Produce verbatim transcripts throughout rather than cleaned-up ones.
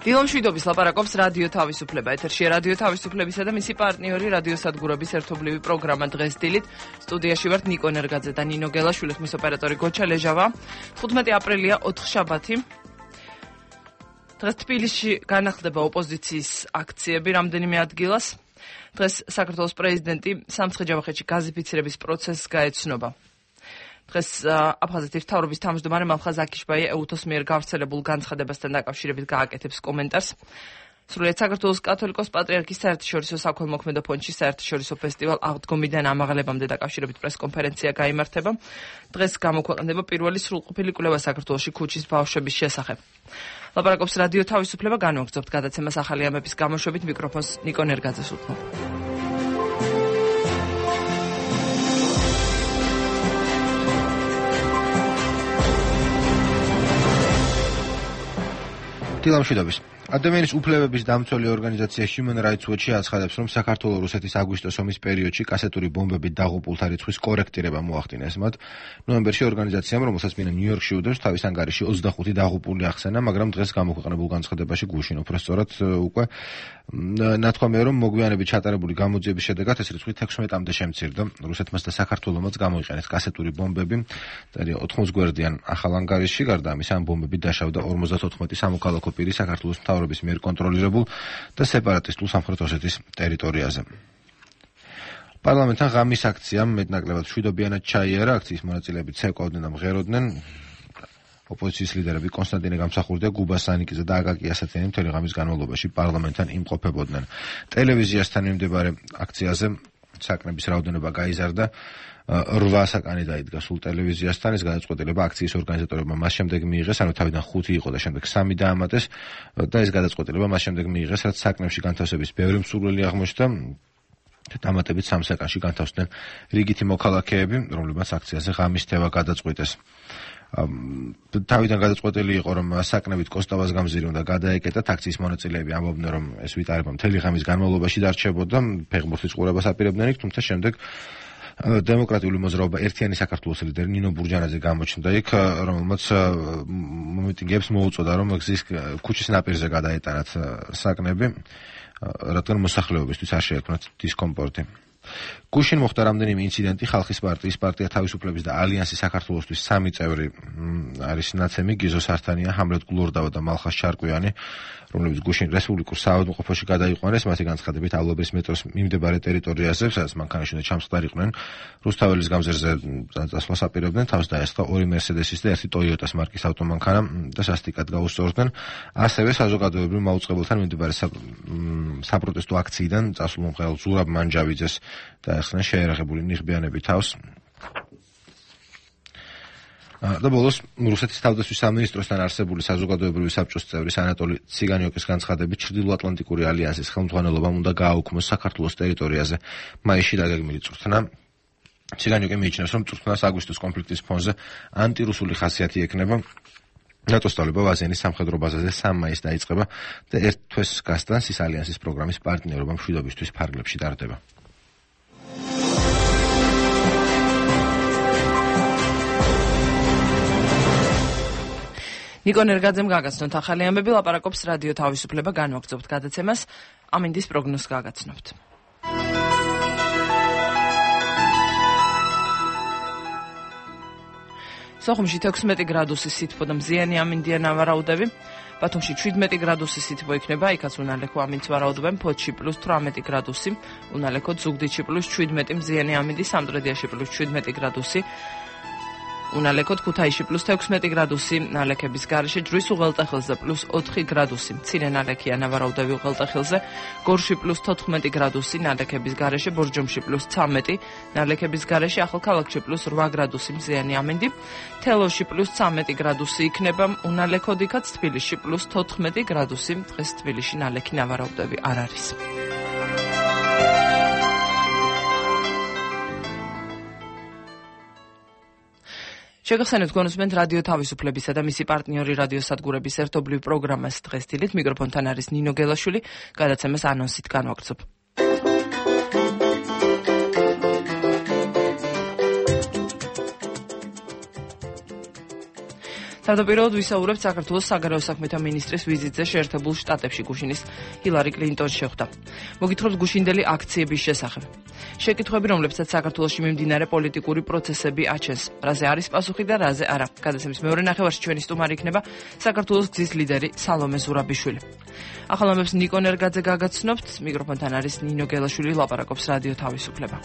დილო მშვიდობის ლაპარაკობს რადიო თავისუფლება. ეთერშია რადიო თავისუფლებისა და მისი პარტნიორი რადიო სადგურების ერთობლივი პროგრამა დღეს დილით. სტუდიაში ვართ ნიკო ნერგაძე და ნინო გელაშვილი, ხმის ოპერატორი გოჩა ლეჟავა. თხუთმეტი აპრილია ოთხშაბათი. დღეს თბილისში განახლდება ოპოზიციის აქციები რამდენიმე ადგილას. დღეს საქართველოს პრეზიდენტი სამცხე-ჯავახეთში გაზიფიცირების პროცესს გაეცნობა. დღეს აფხაზეთის მთავრობის თავმჯდომარე მალხაზ აკიშბაი ეუთოს მიერ გავრცელებულ განცხადებასთან დაკავშირებით გააკეთებს კომენტარს. სრულიად საქართველოს კათოლიკოს პატრიარქის საერთაშორისო საქველმოქმედო ფონდში საერთაშორისო ფესტივალ აღდგომიდან ამაღლებამდე დაკავშირებით პრესკონფერენცია გაიმართება. დღეს გამოქვეყნდება პირველი სრულყოფილი კვლევა საქართველოში ქუჩის ბავშვების შესახებ. ლაპარაკობს რადიო თავისუფლება, განვაგრძობთ გადაცემას ახალი ამების გამოშვებით. მიკროფონს ნიკო ნერგაძეს უთმობ. დილო მშვიდობის. ადამიანის უფლებების დამცველი ორგანიზაცია Human Rights Watch აცხადებს, რომ საქართველოს-რუსეთის აგვისტოს ომის პერიოდში კასეტური ბომბებით დაღუპულთა რიცხვის კორექტირება მოახდინეს მათ. ნოემბერში ორგანიზაციამ, რომელსაც მინა ნიუ-იორკში უდევს, თავის ანგარიში ოცდახუთი დაღუპული ახსენა, მაგრამ დღეს გამოქვეყნებულ განცხადებაში გუშინ უბრალოდ უკვე ნათქვამია, რომ მოგვიანებით ჩატარებული გამოძიების შედეგად ეს რიცხვი თექვსმეტამდე შემცირდა. რუსეთმაც და საქართველომაც გამოიყენეს კასეტური ბომბები. წერია ოთხმოცი გვერდიან ახალ ანგარიშში, გარდა ამისა, ამ ბომბებით დაშავდა ორმოცდათოთხმეტი სამოქალაქო პირი საქართველოს მთავრობის მიერ კონტროლირებულ და სეპარატისტულ სამხრეთ ოსეთის ტერიტორიაზე. პარლამენტთან ღამის აქციამ მეტნაკლებად მშვიდობიანად ჩაიარა. აქციის მონაწილეები ცეკვავდნენ და მღეროდნენ. ოპოზიციის ლიდერები კონსტანტინე გამსახურდია, გუბა სანიკიძე და აკაკი ასათიანი მთელი ღამის განმავლობაში პარლამენტთან იმყოფებოდნენ. ტელევიზიასთან მიმდებარე აქციაზე საკნების რაოდენობა გაიზარდა. რვა საკანი დაიდგა სულ ტელევიზიასთან. ეს გადაწყვეტილება აქციის ორგანიზატორებმა მას შემდეგ მიიღეს, ანუ თავიდან ხუთი იყო და შემდეგ სამი დაამატეს და ეს გადაწყვეტილება მას შემდეგ მიიღეს, რაც საკნებში განთავსების ბევრი მსურველი აღმოჩნდა. დამატებით სამ საკანში განთავსდნენ რიგითი მოქალაქეები, რომლებმაც აქციაზე ღამის თევა გადაწყვიტეს. თავიდან გადაწყვეტილი იყო, რომ საკნებით კოსტავას გამზირი უნდა გადაეკეტათ. აქციის მონაწილეები ამბობდნენ, რომ ეს ვითარება მთელი ღამის განმავლობაში დარჩებოდა, ფეხბურთის ყურებას აპირებდნენ იქ, თუმცა შემდეგ დემოკრატიული მოძრაობა ერთიანი საქართველოს ლიდერი ნინო ბურჯანაძე გამოჩნდა იქ, რომელმაც მომიტინგეებს მოუწოდა, რომ გზის ქუჩის ნაპირზე გადაეტანათ საკნები, რადგან მოსახლეობისთვის არ შეექმნათ დისკომფორტი. გუშინ მოხდა რამდენიმე ინციდენტი. ხალხის პარტიის, პარტია თავისუფლების და ალიანსის საქართველოსთვის სამი წევრი არის ნაცემი, გიზო სართანია, ჰამლეთ გლორდავა და მალხაზ შარკვიანი, რომლებიც გუშინ რესპუბლიკურ საავადმყოფოში გადაიყვანეს. მათი განცხადებით ავლაბრის მეტროს მიმდებარე ტერიტორიაზე, სადაც მანქანაში უნდა ჩამსხდარიყვნენ, რუსთაველის გამზირზე წასვლას აპირებდნენ. თავს დაესხა ორი მერსედესის და ერთი ტოიოტას მარკის ავტომანქანა და სასტიკად გაუსწორდნენ. ასევე საზოგადოებრივ მაუწყებელთან მიმდებარე საპროტესტო აქციიდან წასულ მომღერალ ზურაბ მანჯავიძეს დაეხსნა შეერაღებული ნიღბიანები თავს. და ბოლოს რუსეთის თავდაცვის სამინისტროსთან არსებული საზოგადოებრივი საბჭოს წევრის ანატოლი ციგანიოკის განცხადებით ჩრდილოატლანტიკური ალიანსის ხელმძღვანელობამ უნდა გააუქმოს საქართველოს ტერიტორიაზე მაისში დაგეგმილი წვრთნა. ციგანიოკი მიიჩნევს, რომ წვრთნას აგვისტოს კონფლიქტის ფონზე ანტირუსული ხასიათი ექნება. ნატოს სწავლება ვაზენის სამხედრო ბაზაზე სამ მაისს დაიწყება და ერთ თვეს გასტანს ის ალიანსის პროგრამის პარტნიორობა მშვიდობისთვის ფარგლებში ტარდება. ნიკო ნერგაძემ გაგაცნოთ ახალი ამბები, ლაპარაკობს რადიო თავისუფლება, განვაგრძობთ გადაცემას, ამინდის პროგნოზს გაგაცნობთ. სოხუმში თექვსმეტი გრადუსის სითბო და მზიანი ამინდია ნავარაუდები. ბათუმში შვიდმეტი გრადუსის სითბო იქნება, იქაც უნალექო ამინდს ვარაუდობენ. ფოთში პლუს თვრამეტი გრადუსი, უნალექო ზუგდიდში პლუს შვიდმეტი მზიანი ამინდი, სამტრედიაში პლუს შვიდმეტი გრადუსი. უნალექოთ ქუთაისში პლუს თექვსმეტი გრადუსი, ნალექების გარეშე ჯვრის უღელტეხილზე პლუს ოთხი გრადუსი, მცირე ნალექია ნავარაუდები უღელტეხილზე, გორში პლუს თოთხმეტი გრადუსი, ნალექების გარეშე ბორჯომში პლუს ცამეტი, ნალექების გარეშე ახალქალაქში პლუს რვა გრადუსი მზიანი ამინდი, თელოში პლუს ცამეტი გრადუსი იქნება, უნალექოდ იქაც თბილისში პლუს თოთხმეტი გრადუსი, დღეს თბილისში ნალექი ნავარაუდები არ არის. შეგახსენებთ გონოსმენთ რადიო თავისუფლებისა და მისი პარტნიორი რადიო სადგურების ერთობლივ პროგრამას დღეს დილით. მიკროფონთან არის ნინო გელაშვილი, გადაცემას ანონსით განვაგრძობ. თავდაპირველად ვისაუბრებთ საქართველოს საგარეო საქმეთა მინისტრის ვიზიტზე შეერთებულ შტატებში გუშინის ჰილარი კლინტონს შეხვდა. მოგითხრობთ გუშინდელი აქციების შესახებ. შეკითხვები, რომლებსაც საქართველოში მიმდინარე პოლიტიკური პროცესები აჩენს. რაზე არის პასუხი და რაზე არა. გადაცემის მეორე ნახევარში ჩვენი სტუმარი იქნება საქართველოს გზის ლიდერი სალომე ზურაბიშვილი. ახალამებს ნიკონ ერგაძე გაგაცნობთ, მიკროფონთან არის ნინო გელაშვილი, ლაპარაკობს რადიო თავისუფლება.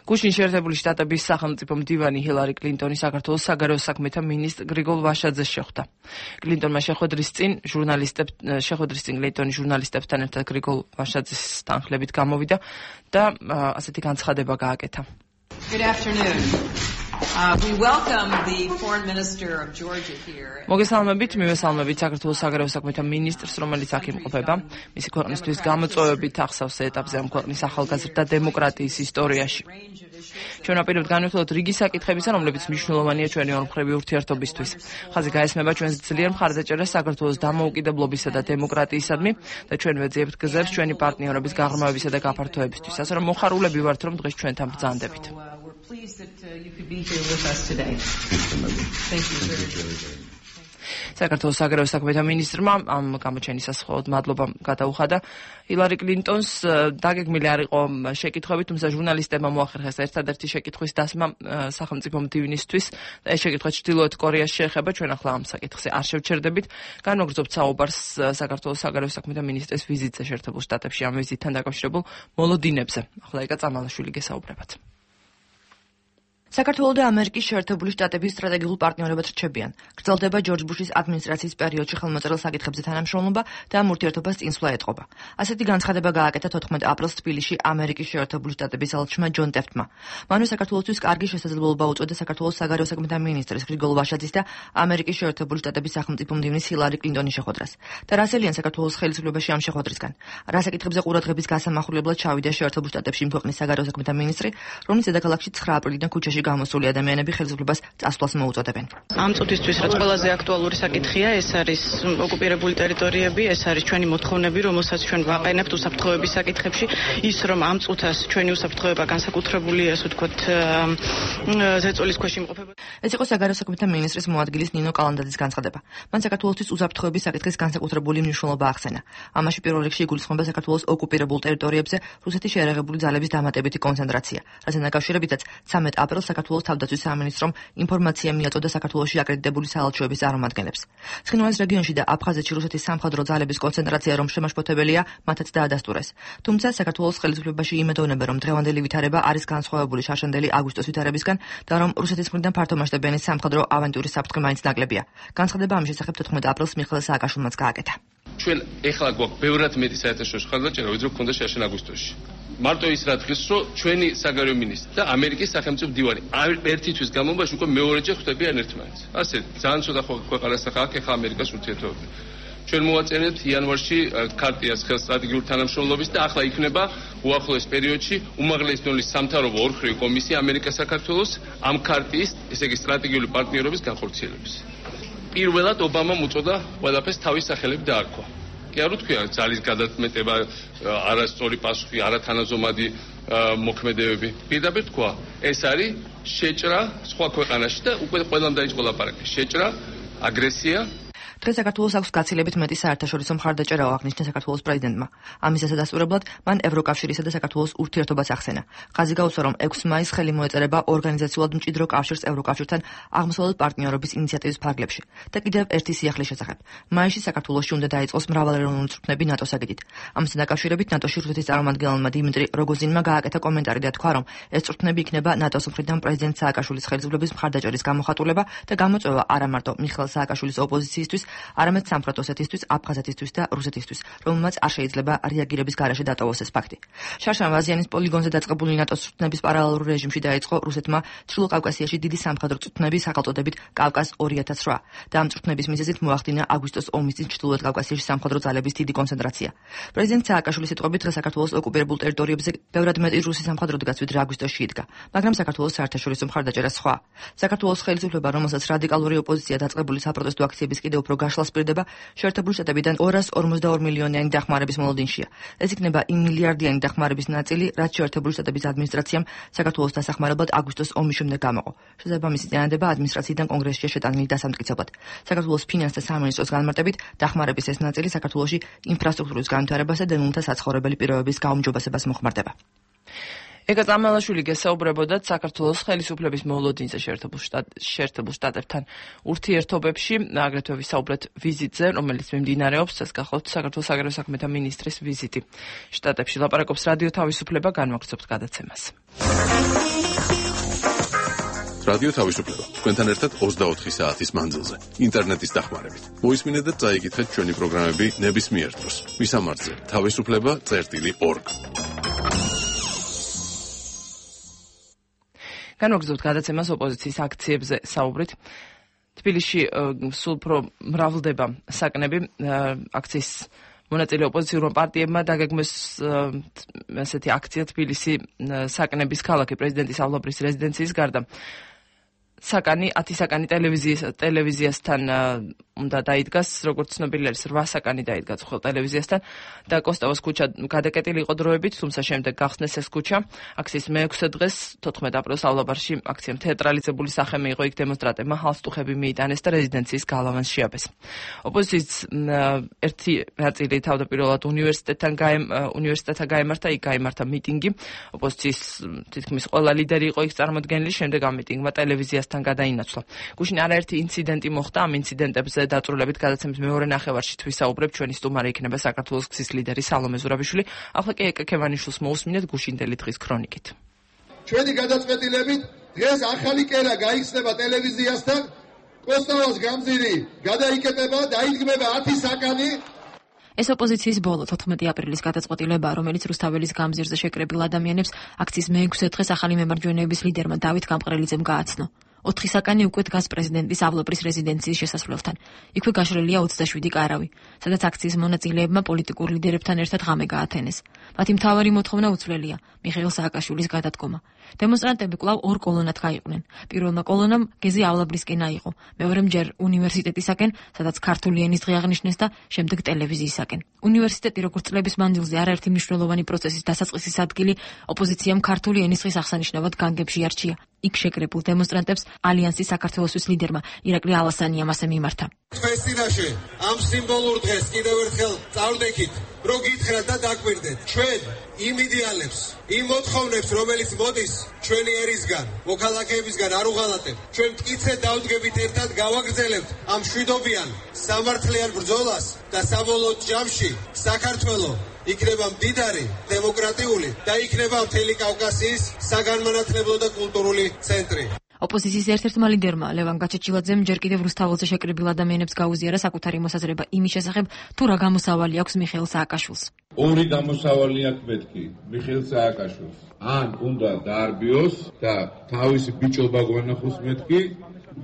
გუშინ შეერთებული შტატების სახელმწიფო მდივანი ჰილარი კლინტონი საქართველოს საგარეო საქმეთა მინისტრ გრიგოლ ვაშაძეს შეხვდა. კლინტონმა შეხვედრის წინ ჟურნალისტებთან შეხვედრის წინ კლინტონი ჟურნალისტებთან ერთად გრიგოლ ვაშაძის თანხლებით გამოვიდა და ასეთი განცხადება გააკეთა. Good afternoon. Uh, we welcome the foreign minister of Georgia here. მოგესალმებით, მივესალმებით საქართველოს საგარეო საქმეთა მინისტრს, რომელიც აქ იმყოფება. მისი ქვეყნისთვის გამოწვევებით ახსავს ეტაპზე ამ ქვეყნის ახალგაზრდა დემოკრატიის ისტორიაში. ჩვენ აპირებთ განვიხილოთ რიგი საკითხებისა, რომლებიც მნიშვნელოვანია ჩვენი ორმხრივი ურთიერთობისთვის. ხაზი გაესმება ჩვენს ძლიერ მხარდაჭერას საქართველოს დამოუკიდებლობისა და დემოკრატიისადმი და ჩვენ ვეძიებთ გზებს ჩვენი პარტნიორების გაღრმავებისა და გაფართოებისთვის. ასე რომ მოხარულები ვართ, რომ დღეს ჩვენთან ბრძანდებით. Pleased that uh, you could be here with us today. Thank you very much. საქართველოს საგარეო საქმეთა მინისტრმა ამ გამოჩენისას მხოლოდ მადლობა გადაუხადა ჰილარი კლინტონს. დაგეგმილი არ იყო შეკითხვები, თუმცა ჟურნალისტებმა მოახერხეს ერთადერთი შეკითხვის დასმა სახელმწიფო მდივნისთვის და ეს შეკითხვა ჩრდილოეთ კორეას შეეხება. ჩვენ ახლა ამ საკითხზე არ შევჩერდებით. განვაგრძობთ საუბარს საქართველოს საგარეო საქმეთა მინისტრის ვიზიტზე შეერთებულ შტატებში, ამ ვიზიტთან დაკავშირებულ მოლოდინებზე. ახლა ეკა წამალაშვილი გესაუბრებათ. საქართველოს და ამერიკის შეერთებული შტატების სტრატეგიულ პარტნიორებად რჩებიან. გრძელდება ჯორჯ ბუშის ადმინისტრაციის პერიოდში ხელმოწერილ საკითხებზე თანამშრომლობა და ამ ურთიერთობას წინსვლა ეტყობა. ასეთი განცხადება გააკეთა თოთხმეტ აპრილს თბილისში ამერიკის შეერთებული შტატების ელჩმა ჯონ ტეფტმა. მანვე საქართველოსთვის კარგი შესაძლებლობა უწოდა საქართველოს საგარეო საქმეთა მინისტრის გრიგოლ ვაშაძის და ამერიკის შეერთებული შტატების სახელმწიფო მდივნის ჰილარი კლინტონის შეხვედრას. და რასელიან საქართველოს ხელისუფლებაში ამ შეხვედრისგან. რა საკითხებზე ყურადღების გასამახვილებლად ჩავიდა შეერთებულ შტატებში ქვეყნის საგარეო საქმეთა მინისტრი, რომელიც დედაქალაქში ცხრა აპრილიდან ქუჩაში გამოსული ადამიანები ხელისუფლებას წასვლას მოუწოდებენ. ამ წუთისთვის რაც ყველაზე აქტუალური საკითხია, ეს არის ოკუპირებული ტერიტორიები, ეს არის ჩვენი მოთხოვნები, რომელსაც ჩვენ ვაყენებთ უსაფრთხოების საკითხებში, ის რომ ამ წუთას ჩვენი უსაფრთხოება განსაკუთრებული, ასე ვთქვათ, ზეწოლის ქვეშ იმყოფება. ეს იყო საგარეო საქმეთა მინისტრის მოადგილის ნინო კალანდაძის განცხადება. მან საქართველოსთვის უსაფრთხოების საკითხის განსაკუთრებული მნიშვნელობა ახსენა. ამაში პირველ რიგში იგულისხმება საქართველოს ოკუპირებულ ტერიტორიებზე რუსეთის შეერაღებული ძალების დამატებითი კონცენტრაცია, რასთან დაკავშირებითაც ცამეტ აპრილს საქართველოს თავდაცვის სამინისტრომ ინფორმაცია მიაწოდა საქართველოში აკრედიტებული საელჩოების წარმომადგენლებს. ცხინვალის რეგიონში და აფხაზეთში რუსეთის სამხედრო ძალების კონცენტრაცია რომ შემაშფოთებელია, მათაც დაადასტურეს. თუმცა საქართველოს ხელისუფლებაში იმედოვნებენ, რომ დღევანდელი ვითარება არის განსხვავებული შარშანდელი აგვისტოს ვითარებისგან და რომ რუსეთის მხრიდან ფართომასშტაბიანი სამხედრო ავანტიურის საფრთხე მაინც ნაკლებია. განცხადება ამ შესახებ თოთხმეტ აპრილს მიხეილ სააკაშვილმაც გააკეთა. ჩვენ ეხლა გვაქვს ბევრად მეტი საერთაშორისო ხარჯაჭერა, ვიდრე გქონდა შარშან აგვისტოში. მარტო ის რა დღეს რომ ჩვენი საგარეო მინისტრი და ამერიკის სახელმწიფო მდივანი ერთი თვის განმავლობაში უკვე მეორეჯერ ხვდებიან ერთმანეთს. ასე ძალიან ცოტა ქვეყანასთან ხალხი ახლა ამერიკას ურთიერთობები. ჩვენ მოვაწერეთ იანვარში ქარტიას ხელს სტრატეგიული თანამშრომლობის და ახლა იქნება უახლოეს პერიოდში უმაღლესი დონის სამთავრობო ორხრივი კომისია ამერიკა საქართველოს ამ ქარტიის, ესე იგი სტრატეგიული პარტნიორობის განხორციელების. პირველად ობამამ უწოდა ყველაფერს თავის სახელით დაარქვა. კი არ ვთქვია ძალის გადაწმეტება, არასწორი პასუხი, არათანაზომადი მოქმედებები. პირდაპირ თქვა, ეს არის შეჭრა სხვა ქვეყანაში და უკვე ყველამ დაიწყო ლაპარაკი. შეჭრა, აგრესია. დღეს საქართველოს აქვს გაცილებით მეტი საერთაშორისო მხარდაჭერა აღნიშნა საქართველოს პრეზიდენტმა. ამის დასასრულებლად მან ევროკავშირისა და საქართველოს ურთიერთობას ახსენა. ხაზი გაუსვა, რომ ექვსი მაისს ხელი მოეწერება ორგანიზაციულად მჭიდრო კავშირს ევროკავშირთან აღმოსავლეთ პარტნიორობის ინიციატივის ფარგლებში. და კიდევ ერთი სიახლის შესახებ. მაისში საქართველოში უნდა დაიწყოს მრავალეროვნული წვრთნები ნატოს აგიდით. ამასთან დაკავშირებით ნატოში რუსეთის წარმომადგენელმა დიმიტრი როგოზინმა გააკეთა კომენტარი და თქვა, რომ ეს წვრთნები იქნება ნატოს მხრიდან პრეზიდენტ სააკაშვილის ხელისუფლების მხარდაჭერის გამოხატულება და გამოწვევა არა მარტო მიხეილ სააკაშვილის ოპოზიციისთვის, არამედ სამხრეთ ოსეთისთვის, აფხაზეთისთვის და რუსეთისთვის, რომელმაც არ შეიძლება რეაგირების გარეშე დატოვოს ეს ფაქტი. შარშან ვაზიანის პოლიგონზე დაწყებული ნატოს წვრთნების პარალელურ რეჟიმში დაიწყო რუსეთმა ჩრდილო კავკასიაში დიდი სამხედრო წვრთნების სახელწოდებით კავკას ორი ათას რვა და ამ წვრთნების მიზეზით მოახდინა აგვისტოს ომის წინ ჩრდილოეთ კავკასიაში სამხედრო ძალების დიდი კონცენტრაცია. პრეზიდენტ სააკაშვილის სიტყვებით დღეს საქართველოს ოკუპირებულ ტერიტორიებზე ბევრად მეტი რუსი სამხედრო დგას, ვიდრე აგვისტოში იდგა, მაგრამ საქართველოს საერთაშორისო მხარდაჭერა სხვა. საქართველოს ხელისუფლება, რომელსაც რადიკალური ოპოზიცია დაწყებული საპროტესტო აქციების კიდევ უფრო გაშლას პირდება შეერთებული შტატებიდან ორას ორმოცდაორ მილიონიანი დახმარების მოლოდინშია. ეს იქნება იმ მილიარდიანი დახმარების ნაწილი, რაც შეერთებული შტატების ადმინისტრაციამ საქართველოს დასახმარებლად აგვისტოს ომის შემდეგ გამოყო. შესაბამისი წინადადება ადმინისტრაციიდან კონგრესშია შეტანილი დასამტკიცებლად. საქართველოს ფინანსთა სამინისტროს განმარტებით, დახმარების ეს ნაწილი საქართველოში ინფრასტრუქტურის განვითარებასა და ნულთა საცხოვრებელი პირობების გაუმჯობესებას მოხმარდება. ეკა წამალაშვილი გესაუბრებოდა საქართველოს ხელისუფლების მოლოდინზე შეერთებულ შტატებთან ურთიერთობებში, აგრეთვე ვისაუბრეთ ვიზიტზე, რომელიც მიმდინარეობს, ეს გახლავთ საქართველოს საგარეო საქმეთა მინისტრის ვიზიტი შტატებში. ლაპარაკობს რადიო თავისუფლება, განვაგრძობთ გადაცემას. რადიო თავისუფლება თქვენთან ერთად ოცდაოთხი საათის მანძილზე ინტერნეტის დახმარებით. მოისმინეთ და წაიკითხეთ ჩვენი პროგრამები ნებისმიერ დროს. მისამართზე თავისუფლება წერტილი ორგ. განვაგრძობთ გადაცემას ოპოზიციის აქციებზე საუბრით. თბილისში სულ უფრო მრავლდება საკნები აქციის მონაწილე ოპოზიციურმა პარტიებმა დაგეგმეს ესეთი აქცია თბილისი საკნების ქალაქი პრეზიდენტის ავლაბრის რეზიდენციის გარდა. საკანი ათი საკანი ტელევიზიის ტელევიზიასთან უნდა დაიდგას, როგორც ცნობილი არის, რვა საკანი დაიდგა ცხელ ტელევიზიასთან და კოსტავოს ქუჩა გადაკეტილი იყო დროებით, თუმცა შემდეგ გახსნეს ეს ქუჩა. აქციის მეექვსე დღეს, თოთხმეტ აპრილს ავლაბარში აქციამ თეატრალიზებული სახე მიიღო, იქ დემონსტრანტებმა ჰალსტუხები მიიტანეს და რეზიდენციის გალავანს შეაბეს. ოპოზიციის ერთი ნაწილი თავდაპირველად უნივერსიტეტთან უნივერსიტეტთან გაემართა, იქ გაიმართა მიტინგი. ოპოზიციის თითქმის ყველა ლიდერი იყო იქ წარმოდგენილი, შემდეგ ამ მიტინგმა ტელევიზიასთან გადაინაცვლა. გუშინ არაერთი ინციდენტი მოხდა, ამ ინციდენტებზე დაწვრილებით გადაცემის მეორე ნახევარში ვისაუბრებთ, ჩვენი სტუმარი იქნება საქართველოს გზის ლიდერი სალომე ზურაბიშვილი. ახლა კი ეკა ქევანიშვილს მოусმინეთ გუშინდელი დღის ქრონიკით. ჩვენი გადაწყვეტილებით დღეს ახალი კერა გაიხსნება ტელევიზიასთან, კოსტავას გამზირი გადაიკეტება, დაიდგმება ათი საკანი. ეს ოპოზიციის ბოლო თოთხმეტი აპრილის გადაწყვეტილებაა, რომელიც რუსთაველის გამზირზე შეკრებილ ადამიანებს აქციის მეექვსე დღეს ახალი მემარჯვენეების ლიდერმა დავით გამყრელიძემ გააცნო. ოთხი საკანი უკვე დგას პრეზიდენტის ავლაბრის რეზიდენციის შესასვლელთან. იქვე გაშლილია ოცდაშვიდი კარავი, სადაც აქციის მონაწილეებმა პოლიტიკურ ლიდერებთან ერთად ღამე გაათენეს. მათი მთავარი მოთხოვნა უცვლელია მიხეილ სააკაშვილის გადადგომა. დემონსტრანტები კვლავ ორ კოლონად გაიყვნენ. პირველმა კოლონამ გეზი ავლაბრისკენ აიღო, მეორემ ჯერ უნივერსიტეტისაკენ, სადაც ქართული ენის დღე აღნიშნეს და შემდეგ ტელევიზიისაკენ. უნივერსიტეტი როგორც წლების მანძილზე არაერთი მნიშვნელოვანი პროცესის დასაწყისის ადგილი, ოპოზიციამ ქართული ენის დღის აღსანიშნავად განგებში არჩია. იქ შეკრებულ დემონსტრანტებს ალიანსის საქართველოსთვის ლიდერმა ირაკლი ალასანიამ ასე მიმართა. თქვენს წინაშე ამ სიმბოლურ დღეს კიდევ ერთხელ წავდექით, რომ გითხრათ და დაგვირდეთ. ჩვენ იმ იდეალებს, იმ მოთხოვნებს, რომელიც მოდის ჩვენი ერისგან, მოქალაქეებისგან არ უღალატებთ. ჩვენ მტკიცედ დავდგებით, ერთად გავაგრძელებთ ამ მშვიდობიან, სამართლიან ბრძოლას და საბოლოო ჯამში საქართველო იქნება მდიდარი, დემოკრატიული და იქნება მთელი კავკასიის საგანმანათლებლო და კულტურული ცენტრი. ოპოზიციის ერთ-ერთმა ლიდერმა ლევან გაჩეჩილაძემ ჯერ კიდევ რუსთაველზე შეკრებილ ადამიანებს გაუზიარა საკუთარი მოსაზრება იმის შესახებ, თუ რა გამოსავალი აქვს მიხეილ სააკაშვილს. ორი გამოსავალი აქვს მეთქი მიხეილ სააკაშვილს. ან უნდა დაარბიოს და თავისი ბიჭობა გვანახოს მეთქი,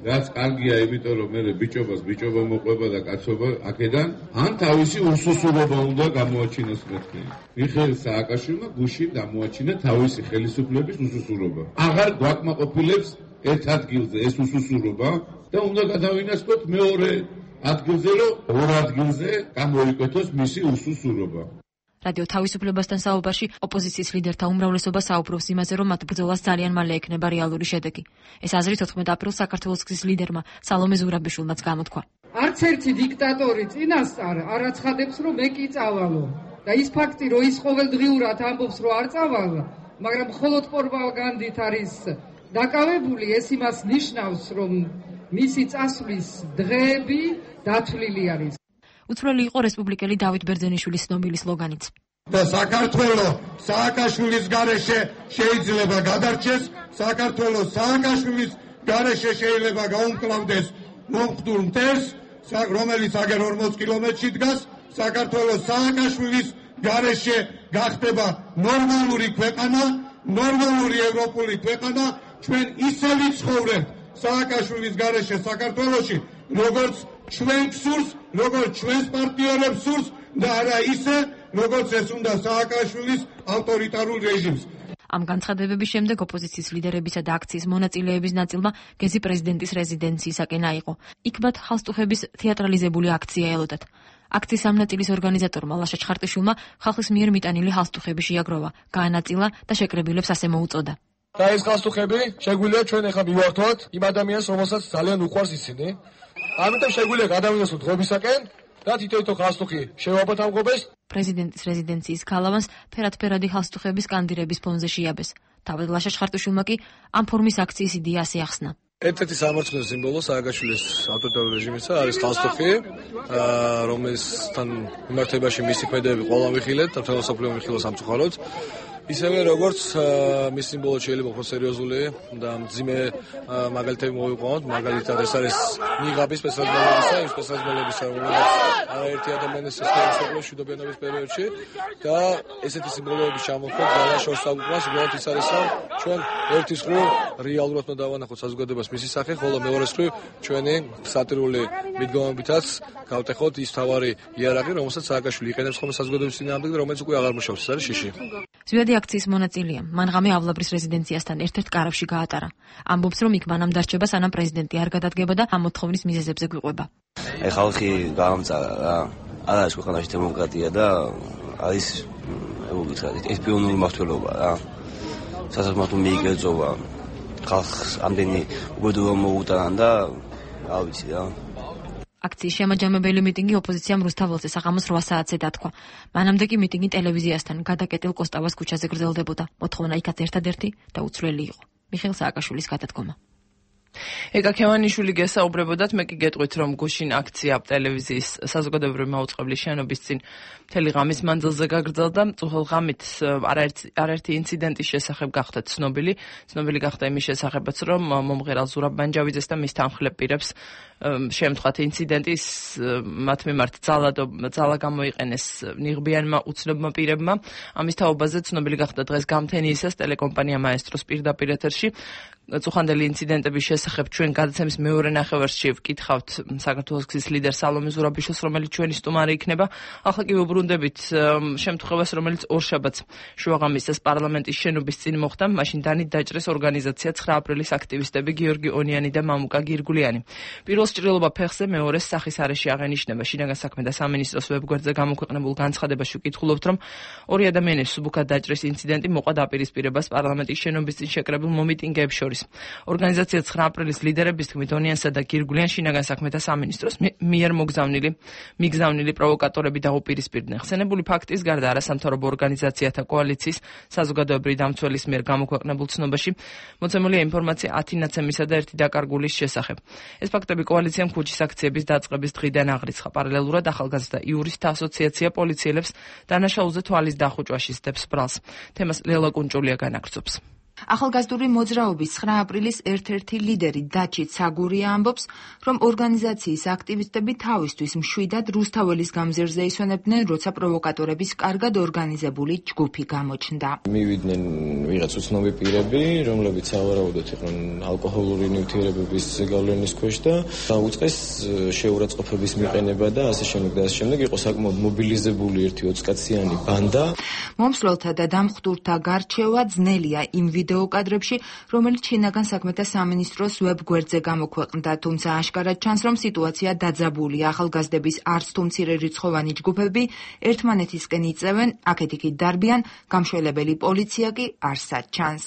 რაც კარგია, იმიტომ რომ მე ბიჭობას ბიჭობა მოყვება და კაცობა აქედან, ან თავისი უსუსურობა უნდა გამოაჩინოს მეთქი. მიხეილ სააკაშვილმა გუშინ გამოაჩინა თავისი ხელისუფლების უსუსურობა. აღარ გვაკმაყოფილებს ერთ ადგილზე ეს უსუსურობა და უნდა გადავინაცვლოთ მეორე ადგილზე, რომ ორ ადგილზე გამოიკვეთოს მისი უსუსურობა. რადიო თავისუფლებასთან საუბარში ოპოზიციის ლიდერთა უმრავლესობა საუბრობს იმაზე, რომ მათ ბრძოლას ძალიან მალე ექნება რეალური შედეგი. ეს აზრი თოთხმეტ აპრილს საქართველოს გზის ლიდერმა სალომე ზურაბიშვილმაც გამოთქვა. არც ერთი დიქტატორი წინასწარ არ აცხადებს, რომ მე კი წავალო. და ის ფაქტი, რომ ის ყოველდღიურად ამბობს, რომ არ წავალ, მაგრამ მხოლოდ პროპაგანდით არის დაკავებული, ეს იმას ნიშნავს, რომ მისი წასვლის დღეები დათვლილი არის. უცვლელი იყო რესპუბლიკელი დავით ბერძენიშვილის ცნობილი სლოგანიც. და საქართველოს სააკაშვილის გარეშე შეიძლება გადარჩეს, საქართველოს სააკაშვილის გარეშე შეიძლება გაუმკლავდეს მომხდურ მტერს, რომელიც აგერ ორმოც კილომეტრში დგას, საქართველოს სააკაშვილის გარეშე გახდება ნორმალური ქვეყანა, ნორმალური ევროპული ქვეყანა. ჩვენ ისე ვიცხოვრებთ სააკაშვილის გარეშე საქართველოში, როგორც ჩვენ გსურს, როგორც ჩვენს პარტნიორებს სურს და არა ისე, როგორც ეს უნდა სააკაშვილის ავტორიტარულ რეჟიმს. ამ განცხადებების შემდეგ ოპოზიციის ლიდერებისა და აქციის მონაწილეების ნაწილმა გეზი პრეზიდენტის რეზიდენციისაკენ აიღო. იქ მათ ხალხსტუხების თეატრალიზებული აქცია ელოდათ. აქციის ამ ნაწილის ორგანიზატორმა ლაშა ჩხარტიშვილმა ხალხის მიერ მიტანილი ხალხსტუხები შეაგროვა, გაანაწილა და შეკრებილებს ასე მოუწოდა. და ეს ხალხსტუხები შეგვიძლია ჩვენ ახლა მივართვათ იმ ადამიანს, რომელსაც ძალიან უყვარს ისინი. ამიტომ შეგვიძლია გადავიდოსოთ ღობისაკენ და თითო-თითო ხალხსტუხი შევაბათ ამ ღობეს. პრეზიდენტის რეზიდენციის გალავანს ფერად-ფერადი ხალხსტუხების სკანდირების ფონზე შეიაბეს. თავად ლაშა ჩხარტიშვილმა კი ამ ფორმის აქციის იდეა ასე ახსნა. ერთ-ერთი სამართლის სიმბოლო სააგაშვილის ავტორიტარული რეჟიმისა არის ხალხსტუხი, რომელსთან მიმართებაში მისი ქმედებები ყველა ვიხილეთ და მთელ მსოფლიო ვიხილო სამწუხაროდ. ისევე როგორც მის სიმბოლო შეიძლება უფრო სერიოზული და მძიმე მაგალითები მოვიყვანოთ, მაგალითად ეს არის ნიღაბის სპეციალიზმებისა, იმ სპეციალიზმებისა, რომელიც არაერთი ადამიანის სისტემის მშვიდობიანობის პერიოდში და ესეთი სიმბოლოების ჩამოხდა ძალიან შორს აღუკვას, უბრალოდ ის არის, რომ ჩვენ ერთის მხრივ რეალურად უნდა დავანახოთ საზოგადოებას მისი სახე, ხოლო მეორეს მხრივ ჩვენი სატირული მიდგომებითაც გავტეხოთ ის თავარი იარაღი, რომელსაც სააკაშვილი იყენებს ხოლმე საზოგადოების წინააღმდეგ და რომელიც უკვე აღარ მუშაობს, ეს არის შიში. ზვიადი აქციის მონაწილეა. მან ღამე ავლაბრის რეზიდენციასთან ერთ-ერთ კარავში გაატარა. ამბობს, რომ იქ მანამ დარჩება, სანამ პრეზიდენტი არ გადადგება და ამ მოთხოვნის მიზეზებზე გვიყვება. აი ხალხი გამამწარა რა. არა ეს ქვეყანაში დემოკრატია და არის ეკუთვნით ეს პიონერი მმართველობა რა. სასამართლო მიიგერძოვა ხალხს ამდენი უბედურება მოუტანა და რა ვიცი რა. აქციის შემაჯამებელი მიტინგი ოპოზიციამ რუსთაველზე საღამოს რვა საათზე დათქვა. მანამდე კი მიტინგი ტელევიზიასთან გადაკეტილ კოსტავას ქუჩაზე გრძელდებოდა. მოთხოვნა იქაც ერთადერთი და უცვლელი იყო. მიხეილ სააკაშვილის გადადგომა. ეკა ქევანიშვილი გესაუბრებოდათ, მე კი გეტყვით, რომ გუშინ აქცია ტელევიზიის საზოგადოებრივი მაუწყებლის შენობის წინ მთელი ღამის მანძილზე გაგრძელდა. წუხელ ღამით არაერთი ინციდენტის შესახებ გახდა ცნობილი. ცნობილი გახდა იმის შესახებაც, რომ მომღერალ ზურაბ მანჯავიძეს და მის თანხლებ პირებს შემთხვევით ინციდენტის მათ მიმართ ძალა გამოიყენეს ნიღბიანმა უცნობმა პირებმა. ამის თაობაზე ცნობილი გახდა დღეს გამთენიისას ტელეკომპანია მაესტროს პირდაპირ ეთერში. წუხანდელი ინციდენტების შესახებ ჩვენ გადაცემის მეორე ნახევარში ვკითხავთ საქართველოს გზის ლიდერ სალომე ზურაბიშვილს, რომელიც ჩვენი სტუმარი იქნება. ახლა კი ვუბრუნდებით შემთხვევას, რომელიც ორშაბათს შუაღამისას პარლამენტის შენობის წინ მოხდა. მაშინ დანით დაჭრეს ორგანიზაცია ცხრა აპრილის აქტივისტები გიორგი ონიანი და მამუკა გირგულიანი. პირველს ჭრილობა ფეხზე, მეორეს სახის არეში აღენიშნება. შინაგან საქმეთა სამინისტროს ვებგვერდზე გამოქვეყნებულ განცხადებაში ვკითხულობთ, რომ ორი ადამიანის სუბუქად დაჭრის ინციდენტი მოყვა დაპირისპირებას პარლამენტის შენობის წინ შეკრებილ მომიტინგეებს შორის. ორგანიზაცია ცხრა აპრილის ლიდერების თქმით ონიანსა და გირგულიანს შინაგან საქმეთა სამინისტროს მიერ მოგზავნილი მიგზავნილი პროვოკატორები დაუპირისპირდნენ. ხსენებული ფაქტის გარდა არასამთავრობო ორგანიზაციათა კოალიციის საზოგადოებრივი დამცველის მიერ გამოქვეყნებულ ცნობაში მოცემულია ინფორმაცია ათი ნაცემისა და ერთი დაკარგულის შესახებ. ეს ფაქტები კოალიციამ ქუჩის აქციების დაწყების დღიდან აღრიცხა. პარალელურად ახალგაზრდა იურისტთა ასოციაცია პოლიციელებს დანაშაულზე თვალის დახუჭვაში სდებს ბრალს. თემას ლელა კუნჭულია განაგრძობს. ახალგაზრდული მოძრაობის ცხრა აპრილის ერთ-ერთი ლიდერი დაჩით საგურია ამბობს, რომ ორგანიზაციის აქტივისტები თავისთვის მშვიდად რუსთაველის გამზირზე ისვენებდნენ, როცა პროვოკატორების კარგად ორგანიზებული ჯგუფი გამოჩნდა. მივიდნენ ვიღაც უცნობი პირები, რომლებიც სავარაუდოდ იყვნენ ალკოჰოლური ნივთიერებების გავლენის ქვეშ და დაუწყეს შეურაცხყოფების მიყენება და ასე შემდეგ და ასე შემდეგ. იყო საკმაოდ მობილიზებული ერთი ოცკაციანი ბანდა. მომსვლელთა და დამხტურთა გარჩევა ძნელია იმ ვიდეო კადრებში, რომელიც შინაგან საქმეთა სამინისტროს ვებგვერდზე გამოქვეყნდა, თუმცა აშკარად ჩანს, რომ სიტუაცია დაძაბულია. ახალგაზრდების არც თუ მცირე რიცხოვანი ჯგუფები ერთმანეთისკენ იწევენ, აქეთ-იქით დარბიან, გამშველებელი პოლიცია კი არსად ჩანს.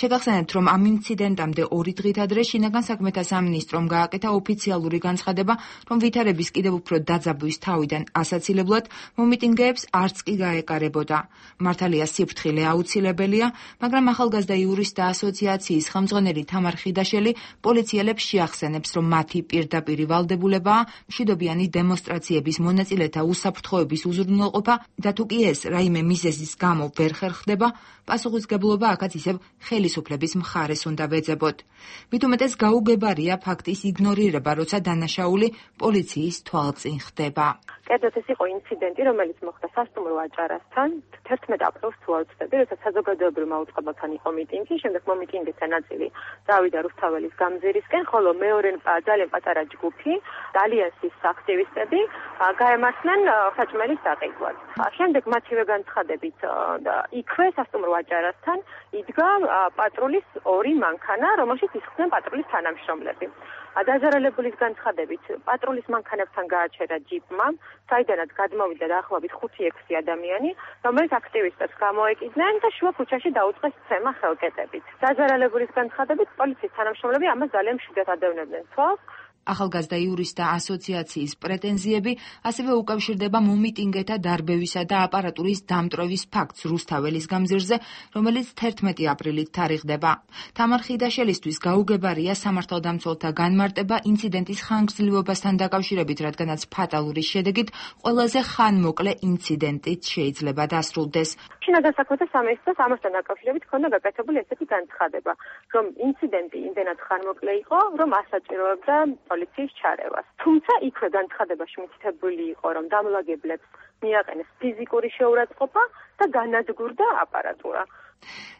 შეგახსენებთ, რომ ამ ინციდენტამდე ორი დღით ადრე შინაგან საქმეთა სამინისტრომ გააკეთა ოფიციალური განცხადება, რომ ვითარების კიდევ უფრო დაძაბვის თავიდან ასაცილებლად მომიტინგეებს არც კი გაეკარებოდა. მართალია სიფრთხილე აუცილებელია, მაგრამ ახალგაზრდა იურისტთა ასოციაციის ხელმძღვანელი თამარ ხიდაშელი პოლიციელებს შეახსენებს, რომ მათი პირდაპირი ვალდებულებაა მშვიდობიანი დემონსტრაციების მონაწილეთა უსაფრთხოების უზრუნველყოფა და თუ კი ეს რაიმე მიზეზის გამო ვერ ხერხდება, პასუხისგებლობა აქაც ისევ ხელისუფლების მხარეს უნდა ვეძებოთ. მით უმეტეს გაუგებარია ფაქტის იგნორირება, როცა დანაშაული პოლიციის თვალწინ ხდება. კერძოდ ეს იყო ინციდენტი, რომელიც მოხდა სასტუმრო აჭარასთან თერთმეტ აპრილს თუ არ ვცდები, როცა საზოგადოებრივ მაუწყებელთან იყო მიტინგი, შემდეგ მომიტინგეთა ნაწილი წავიდა რუსთაველის გამზირისკენ, ხოლო მეორე ძალიან პატარა ჯგუფი, ალიანსის აქტივისტები გაემართნენ საჭმელის საყიდვად. შემდეგ მათივე განცხადებით იქვე სასტუმრო აჭარასთან იდგა პატრულის ორი მანქანა, რომელშიც ისხდნენ პატრულის თანამშრომლები. დაზარალებულის განცხადებით პატრულის მანქანებთან გააჩერა ჯიპმა, საიდანაც გადმოვიდა დაახლოებით ხუთი ექვსი ადამიანი, რომელიც აქტივისტებს გამოეკიდნენ და შუა ქუჩაში დაუწყეს ცემა ხელკეტებით. დაზარალებულის განცხადებით პოლიციის თანამშრომლები ამას ძალიან მშვიდად ადევნებდნენ თვალს. ახალგაზრდა იურისტთა ასოციაციის პრეტენზიები ასევე უკავშირდება მომიტინგეთა დარბევისა და აპარატურის დამტვრევის ფაქტს რუსთაველის გამზირზე, რომელიც თერთმეტი აპრილით თარიღდება. თამარ ხიდაშელისთვის გაუგებარია სამართალდამცველთა განმარტება ინციდენტის ხანგრძლივობასთან დაკავშირებით, რადგანაც ფატალური შედეგით ყველაზე ხანმოკლე ინციდენტით შეიძლება დასრულდეს. შინაგან საქმეთა სამინისტროს ამასთან დაკავშირებით ჰქონდა გაკეთებული ესეთი განცხადება, რომ ინციდენტი იმდენად ხანმოკლე იყო, რომ ასაჭიროებდა პოლიციის ჩარევას. თუმცა იქვე განცხადებაში მითითებული იყო, რომ დამლაგებლებს მიაყენეს ფიზიკური შეურაცხყოფა და განადგურდა აპარატურა.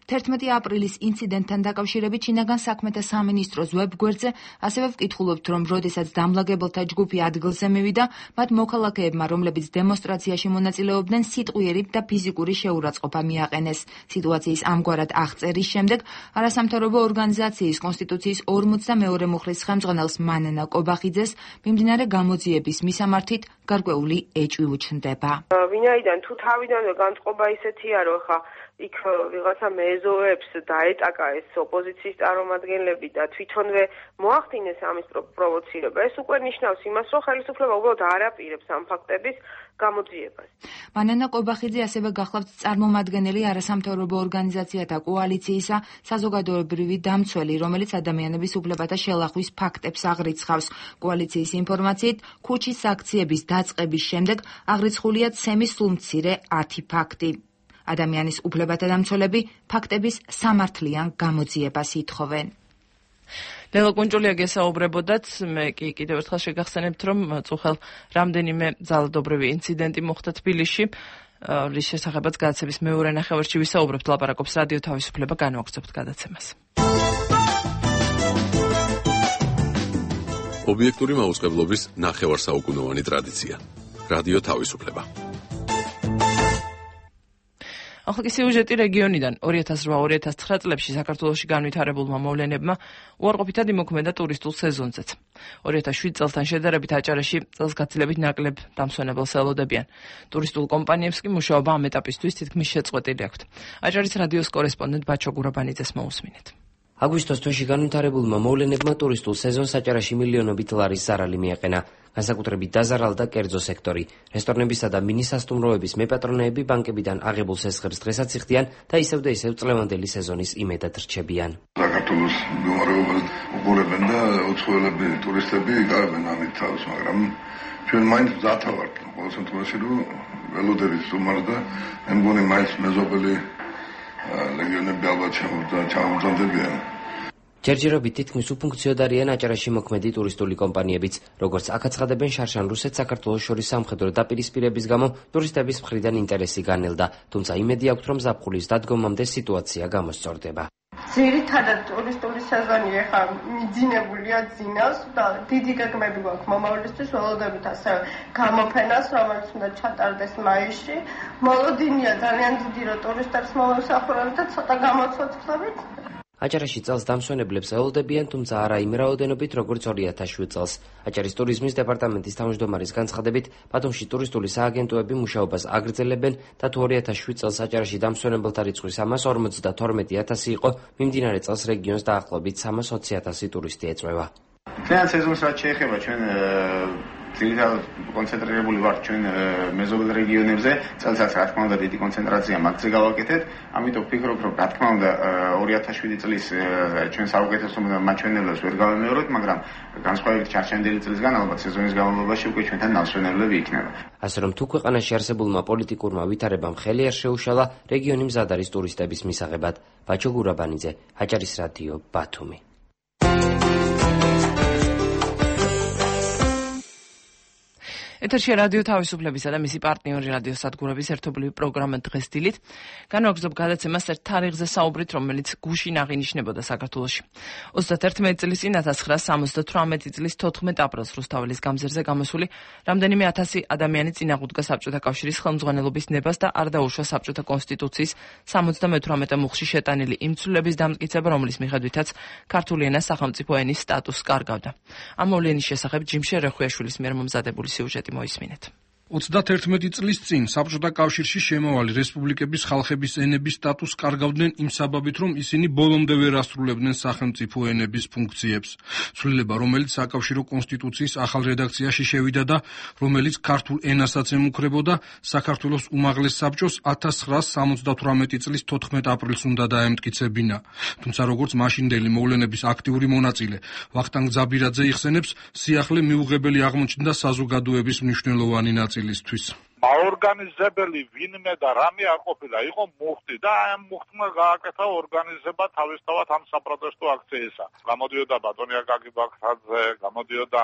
თერთმეტი აპრილის ინციდენტთან დაკავშირებით შინაგან საქმეთა სამინისტროს ვებგვერდზე ასევე ვკითხულობთ, რომ როდესაც დამლაგებელთა ჯგუფი ადგილზე მივიდა, მათ მოქალაქეებმა, რომლებიც დემონსტრაციაში მონაწილეობდნენ, სიტყვიერი და ფიზიკური შეურაცხყოფა მიაყენეს. სიტუაციის ამგვარად აღწერის შემდეგ არასამთავრობო ორგანიზაციის კონსტიტუციის ორმოცდამეორე მუხლის ხელმძღვანელს მანანა კობახიძეს მიმდინარე გამოძიების მისამართით გარკვეული ეჭვი უჩნდება. ვინაიდან თუ თავიდანვე განწყობა ისეთია, რომ ხა იქ ვიღაცა მეზოებს დაეტაკა ეს ოპოზიციის წარმომადგენლები და თვითონვე მოახდინეს ამის პროვოცირება, ეს უკვე ნიშნავს იმას, რომ ხელისუფლება უბრალოდ არ აპირებს ამ ფაქტების გამოძიებას. მანანა კობახიძე ასევე გახლავთ წარმომადგენელი არასამთავრობო ორგანიზაციათა კოალიციისა საზოგადოებრივი დამცველი, რომელიც ადამიანების უფლებათა შელახვის ფაქტებს აღრიცხავს. კოალიციის ინფორმაციით, ქუჩის აქციების დაწყების შემდეგ აღრიცხულია ცემის სულმცირე ათი ფაქტი. ადამიანის უფლებათა დამცველები ფაქტების სამართლიან გამოძიებას ითხოვენ. ლელა კუნჭულია გესაუბრებოდათ, მე კი კიდევ ერთხელ შეგახსენებთ, რომ წუხელ რამდენიმე ძალადობრივი ინციდენტი მოხდა თბილისში, რის შესახებაც გადაცემის მეორე ნახევარში ვისაუბრებთ, ლაპარაკობს რადიო თავისუფლება, განვაგრძობთ გადაცემას. ობიექტური მაუწყებლობის ნახევარსაუკუნოვანი ტრადიცია. რადიო თავისუფლება. ახლა სიუჟეტი რეგიონიდან ორი ათას რვა ორი ათას ცხრა წლებში საქართველოში განვითარებულმა მოვლენებმა უარყოფითად იმოქმედა ტურისტულ სეზონზეც. ორი ათას შვიდ წელთან შედარებით აჭარაში წელსგაცილებით ნაკლებ დამსვენებელს ელოდებიან. ტურისტულ კომპანიებს კი მუშაობა ამ ეტაპისთვის თითქმის შეწყვეტილი აქვთ. აჭარის რადიოს კორესპონდენტ ბაჩო გურაბანიძეს მოусმინეთ. აგვისტოს თვეში განვითარებულმა მოვლენებმა ტურისტულ სეზონს აჭარაში მილიონობით ლარის ზარალი მიაყენა. განსაკუთრებით დაზარალდა კერძო სექტორი. რესტორნებისა და მინისასტუმროების მეპატრონეები ბანკებიდან აღებულ სესხებს დღესაც იხდიან და ისევ და ისევ წლევანდელი სეზონის იმედად რჩებიან. საქართველოს მდგომარეობას უყურებენ და უცხოელები ტურისტები იკარებენ ამით თავს, მაგრამ ჩვენ მაინც მზათა ვართ. ყოველ შემთხვევაში რომ ველოდებით სტუმარს და მე მგონი მაინც მეზობელი ლეგიონები ალბათ ჩამომძანდებიან. ჯერჯერობით თითქმის უფუნქციოდ არიან აჭარაში მოქმედი ტურისტული კომპანიებიც, როგორც აკაცხადებენ შარშან რუსეთს საქართველოს შორის სამხედრო დაპირისპირების გამო ტურისტების მხრიდან ინტერესი განელდა, თუმცა იმედი აქვთ, რომ ზაფხულის დადგომამდე სიტუაცია გამოსწორდება. ძირითადად ტურისტული სეზონი ახლა მიძინებულია ძინავს და დიდი გეგმები გვაქვს მომავლისთვის, ველოდებით ასევე გამოფენას, რომელიც უნდა ჩატარდეს მაისში. მოლოდინია ძალიან დიდი, რომ ტურისტებს მოვემსახურებთ და ცოტა გამოცოცხლებით. აჭარაში წელს დამსვენებლებს ელოდებიან, თუმცა არა იმ რაოდენობით, როგორც ორი ათას შვიდ წელს. აჭარის ტურიზმის დეპარტამენტის თავმჯდომარის განცხადებით, ბათუმში ტურისტული სააგენტოები მუშაობას აგრძელებენ და თუ ორი ათას შვიდ წელს აჭარაში დამსვენებელთა რიცხვი სამას ორმოცდათორმეტი ათასი იყო, მიმდინარე წელს რეგიონს დაახლოებით სამას ოცი ათასი ტურისტი ეწვევა. თეატრ სეზონს რაც შეეხება ჩვენ ძირითადად კონცენტრირებული ვართ ჩვენ მეზობელ რეგიონებზე, წელსაც რა თქმა უნდა დიდი კონცენტრაცია მაგზე გავაკეთეთ, ამიტომ ვფიქრობ, რომ რა თქმა უნდა ორი ათას შვიდი წლის ჩვენ საუკეთესო მაჩვენებლებს ვერ გავემეორებთ, მაგრამ განსხვავებით ჩარჩენილი წლისგან ალბათ სეზონის განმავლობაში უკვე ჩვენთან ნამსვენებლები იქნება. ასე რომ თუ ქვეყანაში არსებულმა პოლიტიკურმა ვითარებამ ხელი არ შეუშალა, რეგიონი მზად არის ტურისტების მისაღებად. ბაჩო გურაბანიძე, აჭარის რადიო, ბათუმი. ეთერში რადიო თავისუფლებისა და მისი პარტნიორი რადიო სადგურების ერთობლივი პროგრამა დღეს დილით. განვაგრძობ გადაცემას ერთ თარიღზე საუბრით, რომელიც გუშინ აღინიშნებოდა საქართველოში. ოცდაათერთმეტი წლის წინ ათას ცხრაასა სამოცდათვრამეტი წლის თოთხმეტ აპრილს რუსთაველის გამზირზე გამოსული რამდენიმე ათასი ადამიანი წინააღმდგა საბჭოთა კავშირის ხელმძღვანელობის ნებას და არ დაუშვა საბჭოთა კონსტიტუციის სამოცდამეთვრამეტე მუხლში შეტანილი იმ ცვლილების დამტკიცება, რომლის მიხედვითაც ქართული ენა სახელმწიფო ენის სტატუსს კარგავდა. ამ მოვლენის შესახებ ჯიმშე რეხვიაშვილის მიერ მომზადებული სიუჟეტი მოისმინეთ. ოცდაათერთმეტი წლის წინ საბჭოთა კავშირში შემავალი რესპუბლიკების ხალხების ენების სტატუსს კარგავდნენ იმ საბაბით, რომ ისინი ბოლომდე ვერ ასრულებდნენ სახელმწიფო ენების ფუნქციებს. ცვლილება, რომელიც საკავშირო კონსტიტუციის ახალ რედაქციაში შევიდა და რომელიც ქართულ ენასაც ემუქრებოდა, საქართველოს უმაღლეს საბჭოს ათას ცხრაასა სამოცდათვრამეტი წლის თოთხმეტ აპრილს უნდა დაემტკიცებინა. თუმცა როგორც მაშინდელი მოვლენების აქტიური მონაწილე ვახტანგ ძაბირაძე იხსენებს, სიახლე მიუღებელი აღმოჩნდა საზოგადოების მნიშვნელოვანი ნაწილი. აორგანიზებელი ვინმე და რამე არ ყოფილა, იყო მუხტი და ამ მუხტმა გააკეთა ორგანიზება თავისთავად ამ საპროტესტო აქციისა. გამოდიოდა ბატონი აკაკი ბაქრაძე, გამოდიოდა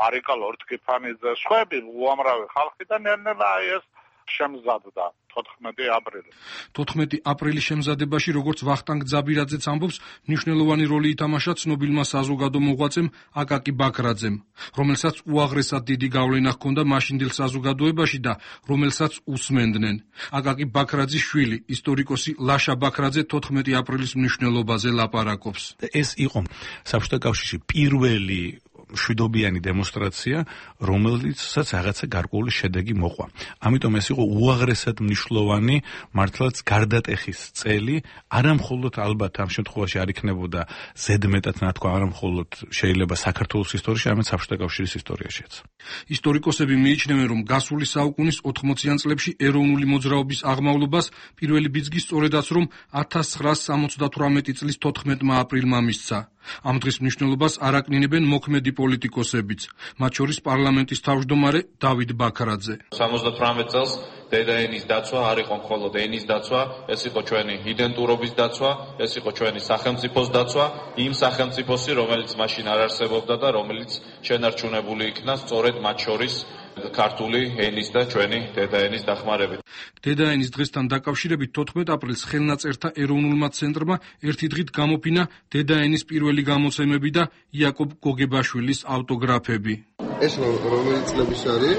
მარიკა ლორთქიფანიძე, სხვები უამრავი ხალხი და ნელ-ნელა აი ეს შემზადდა თოთხმეტი აპრილი. თოთხმეტი აპრილის შემზადებაში, როგორც ვახტანგ ძაბირაძეც ამბობს, მნიშვნელოვანი როლი ითამაშა ცნობილმა საზოგადო მოღვაწემ აკაკი ბაქრაძემ, რომელსაც უაღრესად დიდი გავლენა ჰქონდა მაშინდელ საზოგადოებაში და რომელსაც უსმენდნენ. აკაკი ბაქრაძის შვილი, ისტორიკოსი ლაშა ბაქრაძე თოთხმეტი აპრილის მნიშვნელობაზე ლაპარაკობს. ეს იყო საბჭოთა კავშირში პირველი შვიდობიანი დემონსტრაცია, რომელიცაც რაღაცა გარკვეული შედეგი მოყვა. ამიტომ ეს იყო უაღრესად მნიშვნელოვანი, მართლაც გარდატეხის წელი, არა მხოლოდ ალბათ ამ შემთხვევაში არ იქნებოდა ზედმეტად ნათქვა, არა მხოლოდ შეიძლება საქართველოს ისტორიაში, არამედ საბჭოთა კავშირის ისტორიაშიც. ისტორიკოსები მიიჩნევენ, რომ გასული საუკუნის ოთხმოციან წლებში ეროვნული მოძრაობის აღმავლობას პირველი ბიძგი სწორედაც რომ ათას ცხრაასა სამოცდათვრამეტი წლის თოთხმეტმა აპრილმა მისცა. ამ დღის მნიშვნელობას არ აკნინებენ მოქმედი პოლიტიკოსებიც, მათ შორის პარლამენტის თავმჯდომარე დავით ბაქრაძე. სამოცდათვრამეტ წელს დედაენის დაცვა არ იყო მხოლოდ ენის დაცვა, ეს იყო ჩვენი იდენტურობის დაცვა, ეს იყო ჩვენი სახელმწიფოს დაცვა, იმ სახელმწიფოსი, რომელიც მაშინ არ არსებობდა და რომელიც შენარჩუნებული იქნა სწორედ მათ შორის ქართული ენის და ჩვენი დედაენის დახმარებით. დედაენის დღესთან დაკავშირებით თოთხმეტ აპრილს ხელნაწერთა ეროვნულმა ცენტრმა ერთი დღით გამოფინა დედაენის პირველი გამოცემები და იაკობ გოგებაშვილის ავტოგრაფები. ეს რომელი წლების არის?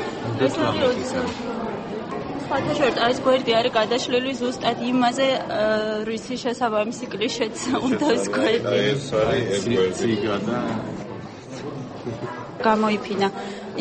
ფათაშორტ այս გვერდი არის გადაშლილი ზუსტად იმაზე რისი შესაბამისი კლიშეც უნდა ეს გვერდი. ეს არის ეგ გამოიფინა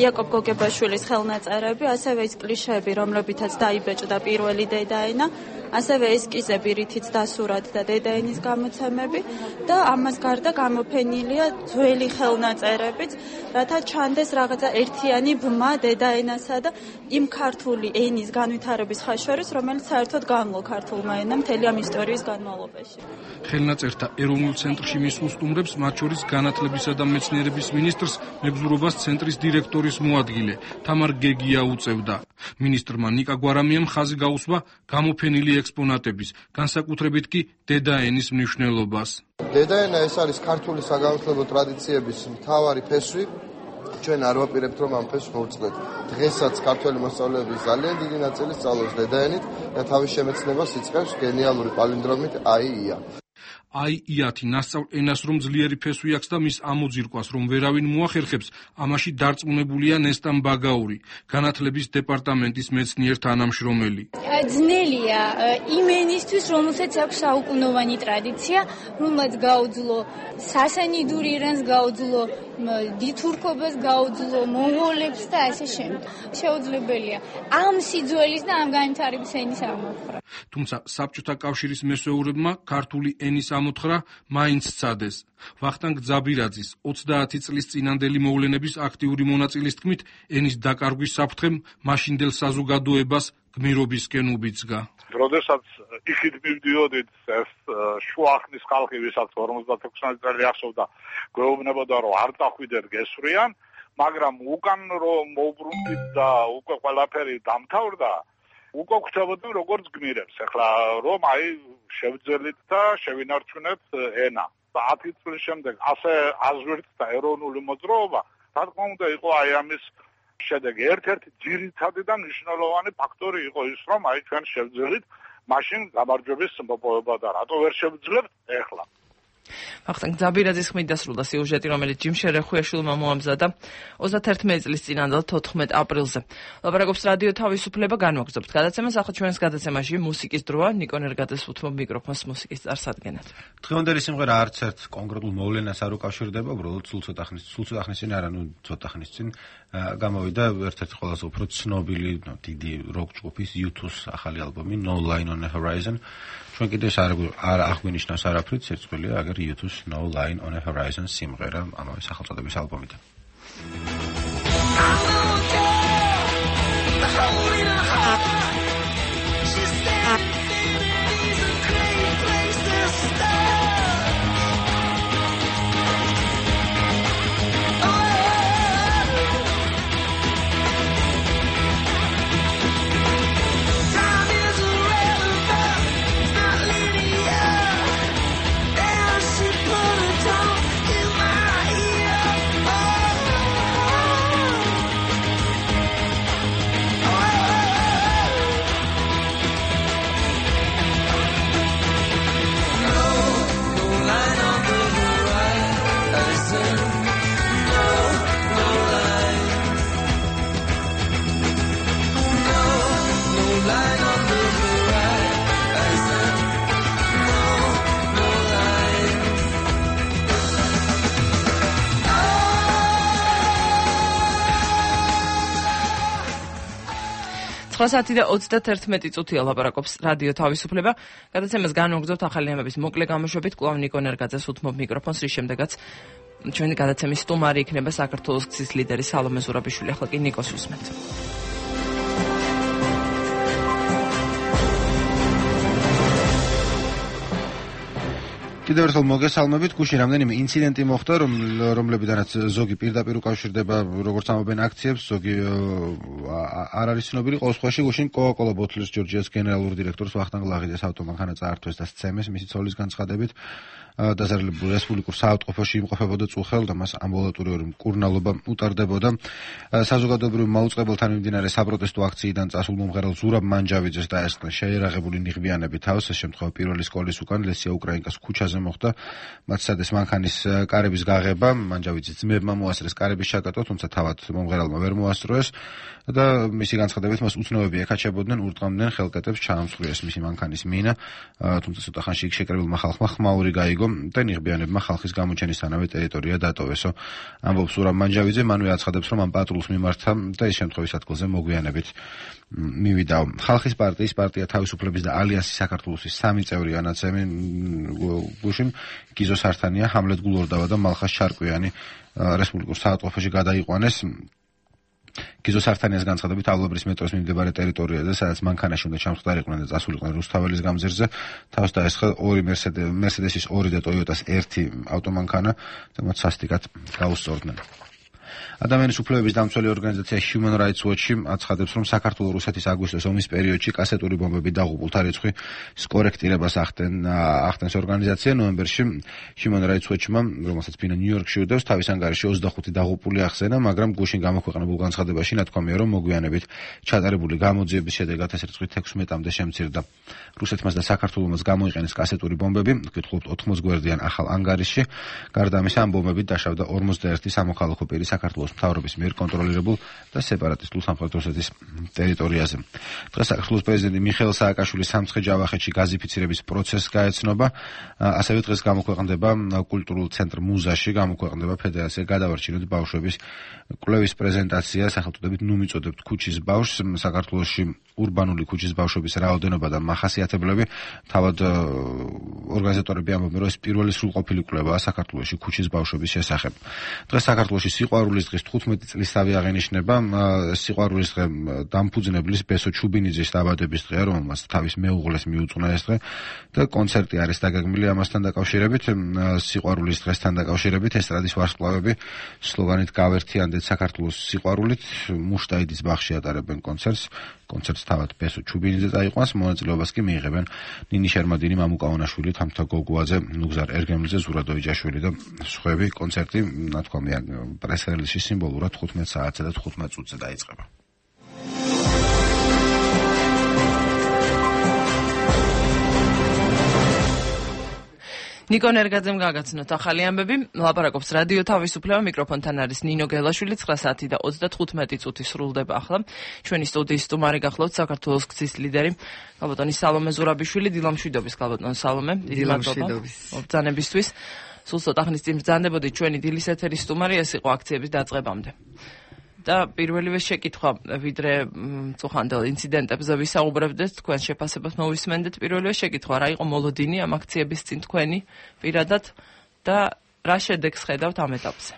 იაკობ გოგებაშვილის ხელნაწერები, ასევე ის კლიშეები, რომლებითაც დაიბეჭდა პირველი დედაენა, ასევე ესკიზები, რითიც დასურათდა დედაენის გამოცემები და ამას გარდა გამოფენილია ძველი ხელნაწერებიც, რათა ჩანდეს რაღაცა ერთიანი ბმა დედაენასა და იმ ქართული ენის განვითარების ხაშორის, რომელიც საერთოდ განვლო ქართულმა ენამ მთელი ამ ისტორიის განმავლობაში. ხელნაწერთა ეროვნულ ცენტრში მისულ სტუმრებს, მათ შორის განათლებისა და მეცნიერების მინისტრს, მეგზურობას ცენტრის დირექტორის მოადგილე თამარ გეგია უწევდა. მინისტრმა ნიკა გვარამიამ ხაზი გაუსვა გამოფენილი ექსპონატების, განსაკუთრებით კი დედაენის მნიშვნელობას. დედაენა ეს არის ქართული საგანმანათლებლო ტრადიციების მთავარი ფესვი. ჩვენ არ ვაპირებთ, რომ ამ ფესვს მოვწყდეთ. დღესაც ქართველი მოსწავლეების ძალიან დიდი ნაწილი სწავლობს დედაენით და თავის შემეცნებას იწყებს გენიალური პალინდრომით აი-ია. აი-იათი ნასწავლ ენას რომ ძლიერი ფესვი აქვს და მის ამოძირკვას რომ ვერავინ მოახერხებს, ამაში დარწმუნებულია ნესტან ბაგაური, განათლების დეპარტამენტის მეცნიერ თანამშრომელი. ძნელია იმ ენისთვის, რომელსაც აქვს საუკუნოვანი ტრადიცია, რომელსაც გაუძლო სასანიდური ერას, გაუძლო დითურქობას, გაუძლო მონღოლებს და ასე შემდეგ. შეუძლებელია ამ სიძველის და ამ განვითარების ენის ამოხრა. თუმცა საბჭოთა კავშირის მესეურებმა ქართული ენის ამოთხრა მაინც სცადეს. ვახტანგ ძაბირაძის ოცდაათი წლის წინანდელი მოვლენების აქტიური მონაწილის თქმით, ენის დაკარგვის საფრთხემ მაშინდელ საზოგადოებას გმირობისკენ უბიძგა. როდესაც იქით მივდიოდით ეს შუახნის ხალხი, ვისაც ორმოცდაექვსი წელი ახსოვდა, გვეუბნებოდა რომ არ დახვიდეთ გესვრიან, მაგრამ უკან რომ მოვბრუნდით და უკვე ყველაფერი დამთავრდა, უკვე გვხვდებოდნენ როგორც გმირებს. ეხლა რომ აი შევძელით და შევინარჩუნეთ ენა. ათი წლის შემდეგ ასე აზვირთდა ეროვნული მოძრაობა, რა თქმა უნდა იყო აი ამის შედეგი ერთ-ერთი ძირითადი და მნიშვნელოვანი ფაქტორი იყო ის, რომ აი ჩვენ შევძელით მაშინ გამარჯვების მოპოვება და რატო ვერ შევძლებთ ეხლა. ვახტანგ ძაბირაძის ხმით დასრულდა სიუჟეტი, რომელიც ჯიმ შერეხუიაშვილმა მოამზადა ოცდათერთმეტი წლის წინანდელ თოთხმეტ აპრილზე. ლაპარაკობს რადიო თავისუფლება, განვაგრძობთ გადაცემას, ახლა ჩვენს გადაცემაში მუსიკის დროა, ნიკო ნერგაძეს უთმობ მიკროფონს მუსიკის წარსადგენად. დღევანდელი სიმღერა არც ერთ კონკრეტულ მოვლენას არ უკავშირდება, უბრალოდ სულ ცოტა ხნის, სულ ცოტა ხნის წინ, არა, ნუ ცოტა ხნის წინ გამოვიდა ერთ-ერთი ყველაზე უფრო ცნობილი, დიდი როკ ჯგუფის იუ თუს ახალი ალბომი No Line on the Horizon. ჩვენ კიდევ არ აღვინიშნავს არაფრით, სირცხვილია, აგერ იუ თუს No Line on the Horizon სიმღერა ამავე სახელწოდების ალბომიდან. ოთხ საათი და ოცდათერთმეტი წუთია ლაპარაკობს რადიო თავისუფლება. გადაცემას განვაგრძობთ ახალი ამების მოკლე გამოშვებით. კვლავ ნიკო ნერგაძეს უთმობ მიკროფონს, რის შემდეგაც ჩვენი გადაცემის სტუმარი იქნება საქართველოს გზის ლიდერი სალომე ზურაბიშვილი. ახლა კი ნიკოს უსმენთ. კიდევ ერთხელ მოგესალმებით. გუშინ რამდენიმე ინციდენტი მოხდა, რომლებიდანაც ზოგი პირდაპირ უკავშირდება, როგორც ამობენ აქციებს, ზოგი არ არის ცნობილი. ყოველ შემთხვევაში გუშინ Coca-Cola Bottlers Georgia's გენერალურ დირექტორს ვახტანგ ლაღიძეს ავტომანქანა წაართვეს და სცემეს მისი ცოლის განცხადებით. დაზარალებულ რესპუბლიკურ საავადმყოფოში იმყოფებოდა წუხელ და მას ამბულატორიური მკურნალობა უტარდებოდა. საზოგადოებრივ მაუწყებელთან მიმდინარე საპროტესტო აქციიდან წასულ მომღერალ ზურაბ მანჯავიძეს დაესხნენ შეერაღებული ნიღბიანები თავს. ეს შემთხვევა პირველი სკოლის უკან ლესია უკრაინკას ქუჩაზე მოხდა. მათ სცადეს მანქანის კარების გაღება. მანჯავიძის ძმებმა მოასწრეს კარების შაკატვა, თუმცა თავად მომღერალმა ვერ მოასწროეს და მისი განცხადებით მას უცნობები ეკაჩებოდნენ, ურტყამდნენ ხელკეთებს ჩაამსხვრიეს მისი მანქანის მინა, თუმცა ცოტა ხანში იქ შეკრებილმა ხალხმა ხმაური გაიგო და ნიღბიანებმა ხალხის გამოჩენისთანავე ტერიტორია დატოვესო. ამბობს ზურაბ მანჯავიძე, მანვე აცხადებს, რომ ამ პატრულს მიმართა და ის შემთხვევის ადგილზე მოგვიანებით მივიდა. ხალხის პარტიის, პარტია თავისუფლების და ალიანსის საქართველოსის სამი წევრი ანაცემი გუშინ გიზო სართანია, ჰამლეთ გულორდავა და მალხას ჩარკვიანი რესპუბლიკურ საავადმყოფოში გადაიყვანეს. გიზო სართანიას განცხადებით, ავლაბრის მეტროს მიმდებარე ტერიტორიაზე, სადაც მანქანაში უნდა ჩამხდარიყვნენ და წასულიყვნენ რუსთაველის გამზირზე, თავს დაესხა ორი მერსედესის ორი და ტოიოტას ერთი ავტომანქანა და მათ სასტიკად გაუსწორდნენ. ადამიანის უფლებების დამცველი ორგანიზაცია Human Rights Watch აცხადებს, რომ საქართველოს რუსეთის აგვისტოს ომის პერიოდში კასეტური ბომბები დაღუპულთა რიცხვი კორექტირებას ახდენს ორგანიზაცია. ნოემბერში Human Rights Watch-მა, რომელსაც ფინა ნიუ-იორკში უდევს, თავის ანგარიში ოცდახუთი დაღუპული ახსენა, მაგრამ გუშინ გამოქვეყნებულ განცხადებაში ნათქვამია, რომ მოგვიანებით ჩატარებული გამოძიების შედეგად ეს რიცხვი თექვსმეტამდე შემცირდა. რუსეთმაც და საქართველოს გამოიყენეს კასეტური ბომბები, გითხულობთ ოთხმოც გვერდიან ახალ ანგარიშში. გარდა ამისა, ამ ბომბებით დაშავდა ორმოცდაერთი სამოქალაქო პირი საქართველოს მთავრობის მიერ კონტროლირებულ და სეპარატისტულ სამხრეთ რუსეთის ტერიტორიაზე. დღეს საქართველოს პრეზიდენტი მიხეილ სააკაშვილის სამცხე-ჯავახეთში გაზიფიცირების პროცესს გაეცნობა. ასევე დღეს გამოქვეყნდება კულტურულ ცენტრ მუზაში, გამოქვეყნდება ფედერაცია გადავარჩინოთ ბავშვების კვლევის პრეზენტაცია სახელწოდებით ნუ მიწოდებთ ქუჩის ბავშვს. საქართველოში ურბანული ქუჩის ბავშვების რაოდენობა და მახასიათებლები. თავად ორგანიზატორები ამბობენ, რომ ეს პირველი სრულყოფილი კვლევაა საქართველოში ქუჩის ბავშვების შესახებ. დღეს საქართველოში სიყვარულის დღის თხუთმეტი წლისთავი აღენიშნება. სიყვარულის დღე დამფუძნებლის ბესო ჩუბინიძის დაბადების დღეა, რომელმაც თავის მეუღლეს მიუძღვნა ეს დღე და კონცერტი არის დაგეგმილი ამასთან დაკავშირებით. სიყვარულის დღესთან დაკავშირებით ესტრადის ვარსკვლავები სლოგანით გავერთიანდეთ საქართველოს სიყვარულით მუშტაიდის ბაღში ატარებენ კონცერტს. კონცერტს რომელსაც თავად პესო ჩუბინიძე წაიყვანს, მონაწილეობას კი მიიღებენ ნინი შერმადინი, მამუკა ონაშვილი, თამთა გოგუაძე, ნუგზარ ერგემლიძე, ზურაბ დოიჯაშვილი და სხვები. კონცერტი, ნათქვამია, პრეს-რელიზში სიმბოლურად თხუთმეტ საათზე და თხუთმეტ წუთზე დაიწყება. ნიკო ნერგაძემ გაგაცნოთ ახალი ამბები. ლაპარაკობს რადიო თავისუფლება, მიკროფონთან არის ნინო გელაშვილი. ცხრა საათი და ოცდათხუთმეტი წუთი სრულდება ახლა. ჩვენი სტუდიის სტუმარი გახლავთ საქართველოს გზის ლიდერი გალბატონი სალომე ზურაბიშვილი. დილამშვიდობის გალბატონ სალომე. დილამშვიდობის. მობრძანებისთვის. სულ ცოტა ხნის წინ ბრძანდებოდით ჩვენი დილის ეთერის სტუმარი, ეს იყო აქციების დაწყებამდე. და პირველივე შეკითხვა, ვიდრე წუხანდელ ინციდენტებზე ვისაუბრებდეთ, თქვენ შეფასებას მოვისმენდეთ. პირველივე შეკითხვა, რა იყო მოლოდინი ამ აქციების წინ თქვენი პირადად და რა შედეგს ხედავთ ამ ეტაპზე?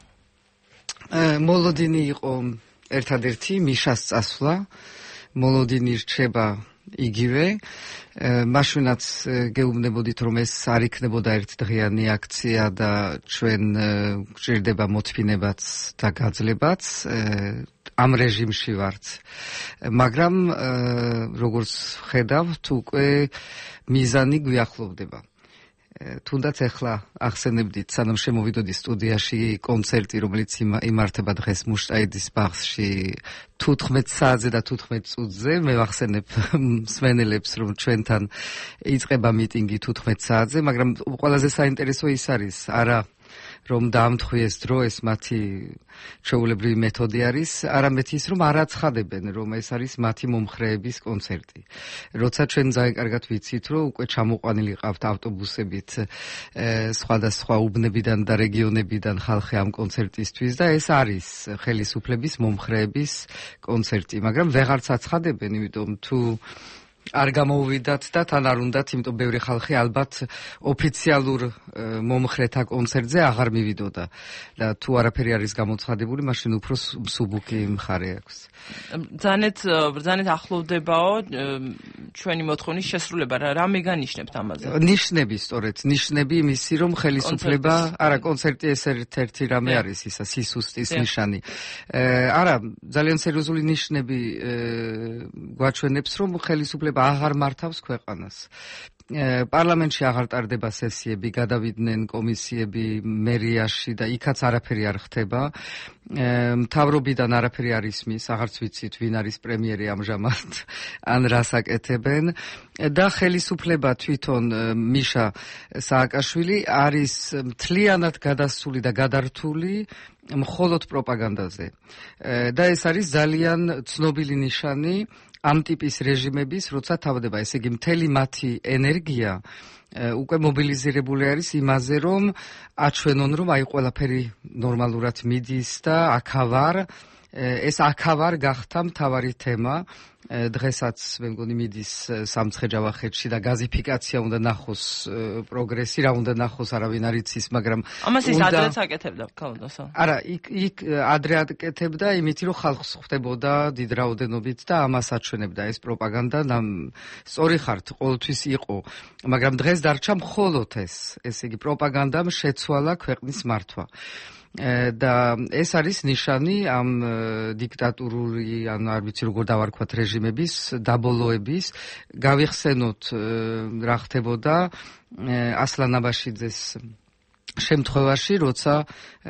მოლოდინი იყო ერთადერთი მიშას წასვლა. მოლოდინი რჩება იგივე. მაშინაც გეუბნებოდით, რომ ეს არ იქნებოდა ერთდღიანი აქცია და ჩვენ გვჭირდება მოთმინებაც და გაძლებაც. ამ რეჟიმში ვართ. მაგრამ როგორც ხედავთ, უკვე მიზანი გვიახლოვდება. თუნდაც ახლა ახსენებდით, სანამ შემოვიდოდი სტუდიაში, კონცერტი, რომელიც იმართება დღეს მუშტაიდის ბაღში თუთხმეტ საათზე და თუთხმეტ წუთზე. მე ვახსენებ მსმენელებს, რომ ჩვენთან იწყება მიტინგი თუთხმეტ საათზე, მაგრამ ყველაზე საინტერესო ის არის, არა რომ დაამთხვიეს დრო, ეს მათი ჩვეულებრივი მეთოდი არის, არამედ ის, რომ არ აცხადებენ, რომ ეს არის მათი მომხრეების კონცერტი. როცა ჩვენ ძალიან კარგად ვიცით, რომ უკვე ჩამოყვანილი ყავთ ავტობუსებით სხვადასხვა უბნებიდან და რეგიონებიდან ხალხი ამ კონცერტისთვის და ეს არის ხელისუფლების მომხრეების კონცერტი, მაგრამ ვეღარც აცხადებენ, იმიტომ თუ არ გამოუვიდათ და თან არ უნდათ, იმიტომ ბევრი ხალხი ალბათ ოფიციალურ მომხრეთა კონცერტზე აღარ მივიდოდა და თუ არაფერი არის გამოცხადებული, მაშინ უფრო მსუბუქი მხარე აქვს. ბრძანეთ ბრძანეთ ახლოვდებაო ჩვენი მოთხოვნის შესრულება, რა მეგანიშნებთ ამაზე? ნიშნები, სწორედ, ნიშნები იმისი, რომ ხელისუფლება, არა, კონცერტი ეს ერთ-ერთი რამე არის ისა, სისუსტის ნიშანი. არა, ძალიან სერიოზული ნიშნები გვაჩვენებს, რომ ხელისუფლება აღარ მართავს ქვეყანას. პარლამენტში აღარ ტარდება სესიები, გადავიდნენ კომისიები მერიაში და იქაც არაფერი არ ხდება. მთავრობიდან არაფერი არ ისმის, აღარც ვიცით ვინ არის პრემიერი ამჟამად, ან რას აკეთებენ და ხელისუფლება თვითონ მიშა სააკაშვილი არის მთლიანად გადასული და გადართული მხოლოდ პროპაგანდაზე. და ეს არის ძალიან ცნობილი ნიშანი ამ ტიპის რეჟიმების, როცა თავდება, ესე იგი მთელი მათი ენერგია უკვე მობილიზირებული არის იმაზე, რომ აჩვენონ, რომ აი ყველაფერი ნორმალურად მიდის და აქავარ, ეს აქავარ გახდა მთავარი თემა. დღესაც მე მგონი მიდის სამცხე-ჯავახეთში და გაზიფიკაცია უნდა ნახოს პროგრესი, რა უნდა ნახოს, არავინ არ იცის, მაგრამ ამას ის ადრეც აკეთებდა, ქალბატონო. არა, იქ იქ ადრე აკეთებდა იმითი, რომ ხალხს ხვდებოდა დიდ რაოდენობით და ამას აჩვენებდა ეს პროპაგანდა. სწორი ხართ, ყოველთვის იყო, მაგრამ დღეს დარჩა მხოლოდ ეს, ესე იგი პროპაგანდამ შეცვალა ქვეყნის მართვა. და ეს არის ნიშანი ამ დიქტატურული, ანუ არ ვიცი როგორ დავარქვათ, რეჟიმების დაბოლოების. გავიხსენოთ რა ხდებოდა ასლან აბაშიძეს შემთხვევაში, როცა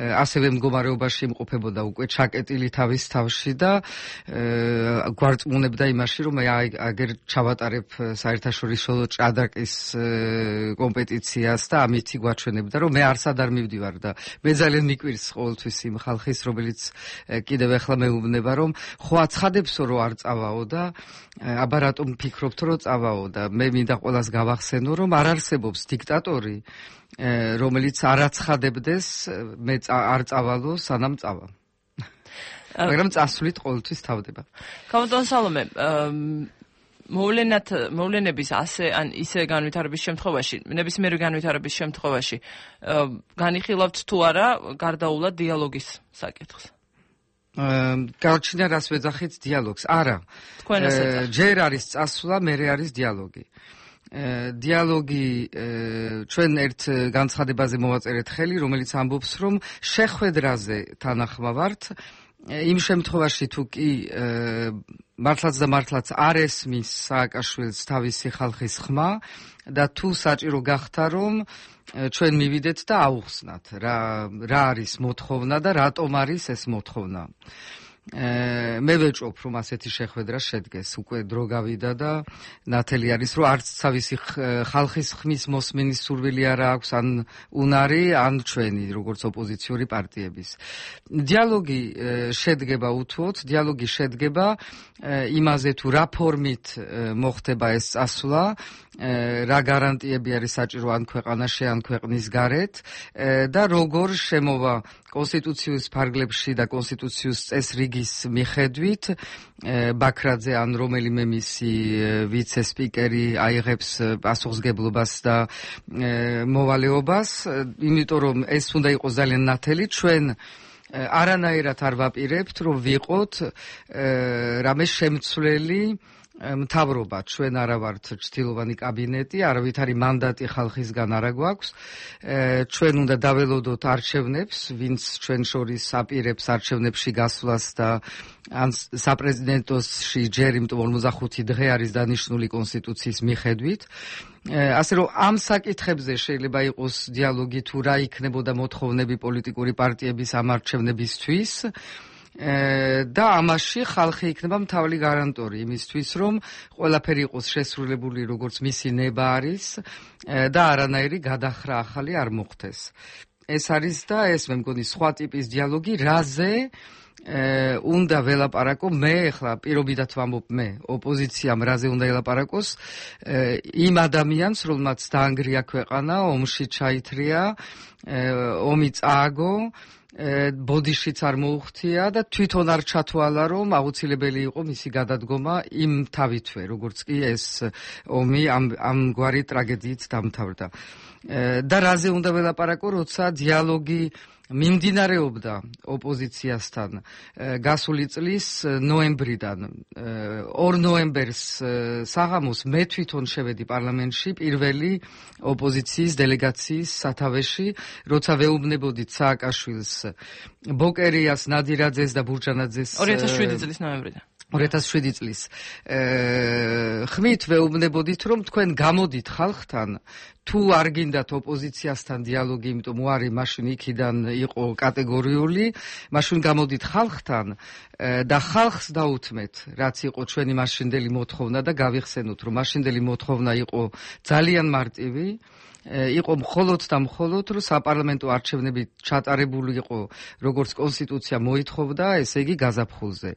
ასევე მდგომარეობაში იმყოფებოდა უკვე ჩაკეტილი თავის თავში და გვარწმუნებდა იმაში, რომ აი აგერ ჩავატარებ საერთაშორისო ჭადრაკის კომპეტიციას და ამითი გვაჩვენებდა, რომ მე არსად არ მივდივარ და მე ძალიან მიკვირს ყოველთვის იმ ხალხის, რომელიც კიდევ ახლა მეუბნება, რომ ხო აცხადებსო, რომ არ წავაო და აბა რატომ ფიქრობთ, რომ წავაო და მე მინდა ყველას გავახსენო, რომ არ არსებობს დიქტატორი, რომელიც არ აცხადებდეს, მე არ წავალო, სანამ წავა. მაგრამ წასვლით ყოველთვის თავდება. ქალბატონ სალომე, მოვლენად მოვლენების ასე ან ისე განვითარების შემთხვევაში, ნებისმიერი განვითარების შემთხვევაში, განიხილავთ თუ არა გარდაულად დიალოგის საკითხს? გაჩნდა რას ვეძახით დიალოგს? არა. თქვენ ასე წახთ. ჯერ არის წასვლა, მერე არის დიალოგი. დიალოგი ჩვენ ერთ განცხადებაზე მოვაწერეთ ხელი, რომელიც ამბობს, რომ შეხვედრაზე თანახმავართ იმ შემთხვევაში თუ კი მართლაც და მართლაც არ ესმის სააკაშვილს თავისი ხალხის ხმა და თუ საჭირო გახდა რომ ჩვენ მივიდეთ და აუხსნათ რა რა არის მოთხოვნა და რატომ არის ეს მოთხოვნა. მე ვეჭვობ რომ ასეთი შეხვედრა შედგეს, უკვე დრო გავიდა და ნათელი არის რომ არც თავისი ხალხის ხმის მოსმენის სურვილი არ აქვს ან უნარი ან ჩვენი როგორც ოპოზიციური პარტიების. დიალოგი შედგება უთუოდ, დიალოგი შედგება იმაზე თუ რა ფორმით მოხდება ეს წასვლა, რა გარანტიები არის საჭირო ან ქვეყანაში ან ქვეყნის გარეთ და როგორ შემოვა კონსტიტუციის ფარგლებში და კონსტიტუციის წესრიგის მიხედვით ბაქრაძე ან რომელიმე მისი ვიცე-სპიკერი აიღებს პასუხისგებლობას და მოვალეობას, იმიტომ რომ ეს უნდა იყოს ძალიან ნათელი. ჩვენ არანაირად არ ვაპირებთ რომ ვიყოთ რამე შემცვლელი მთავრობა, ჩვენ არა ვართ ჩრდილოვანი კაბინეტი, არავითარი მანდატი ხალხისგან არ გვაქვს. ჩვენ უნდა დაველოდოთ არჩევნებს, ვინც ჩვენ შორის აპირებს არჩევნებში გასვლას და ან საპრეზიდენტოში ჯერ, იმიტომ ორმოცდახუთი დღე არის დანიშნული კონსტიტუციის მიხედვით. ასე რომ ამ საკითხებზე შეიძლება იყოს დიალოგი თუ რა იქნებოდა მოთხოვნები პოლიტიკური პარტიების ამ არჩევნებისთვის. და ამაში ხალხი იქნება მთავარი გარანტორი იმისთვის, რომ ყველაფერი იყოს შესრულებული როგორც მისი ნება არის და არანაირი გადახრა ახალი არ მოხდეს. ეს არის და ეს მე მგონი სხვა ტიპის დიალოგი, რაზე უნდა ველაპარაკო მე ახლა პირობითად ვამბობ მე ოპოზიციამ რაზე უნდა ელაპარაკოს იმ ადამიანს, რომელმაც დაანგრია ქვეყანა, ომში ჩაითრია, ომი წააგო, ბოდიშიც არ მოუხთია და თვითონ არ ჩათვალა რომ აუცილებელი იყო მისი გადადგომა იმ თავითვე, როგორც კი ეს ომი ამ ამგვარი ტრაგედიით დამთავრდა. და რაზე უნდა ველაპარაკო, როცა დიალოგი მიმდინარეობდა ოპოზიციასთან გასული წლის ნოემბრიდან. ორ ნოემბერს საღამოს მე თვითონ შევედი პარლამენტში პირველი ოპოზიციის დელეგაციის სათავეში, როცა ვეუბნებოდით სააკაშვილს, ბოკერიას, ნადირაძეს და ბურჯანაძეს ორი ათას შვიდი წლის ნოემბრიდან. ორი ათას შვიდი წლის ხმით ვეუბნებოდით რომ თქვენ გამოდით ხალხთან, თუ არ გინდათ ოპოზიციასთან დიალოგი, იმიტომ უარი მაშინ იქიდან იყო კატეგორიული, მაშინ გამოდით ხალხთან და ხალხს დაუთმეთ, რაც იყო ჩვენი მაშინდელი მოთხოვნა და გავიხსენოთ, რომ მაშინდელი მოთხოვნა იყო ძალიან მარტივი, იყო მხოლოდ და მხოლოდ რომ საპარლამენტო არჩევნები ჩატარებული იყო, როგორც კონსტიტუცია მოითხოვდა, ესე იგი გაზაფხულზე.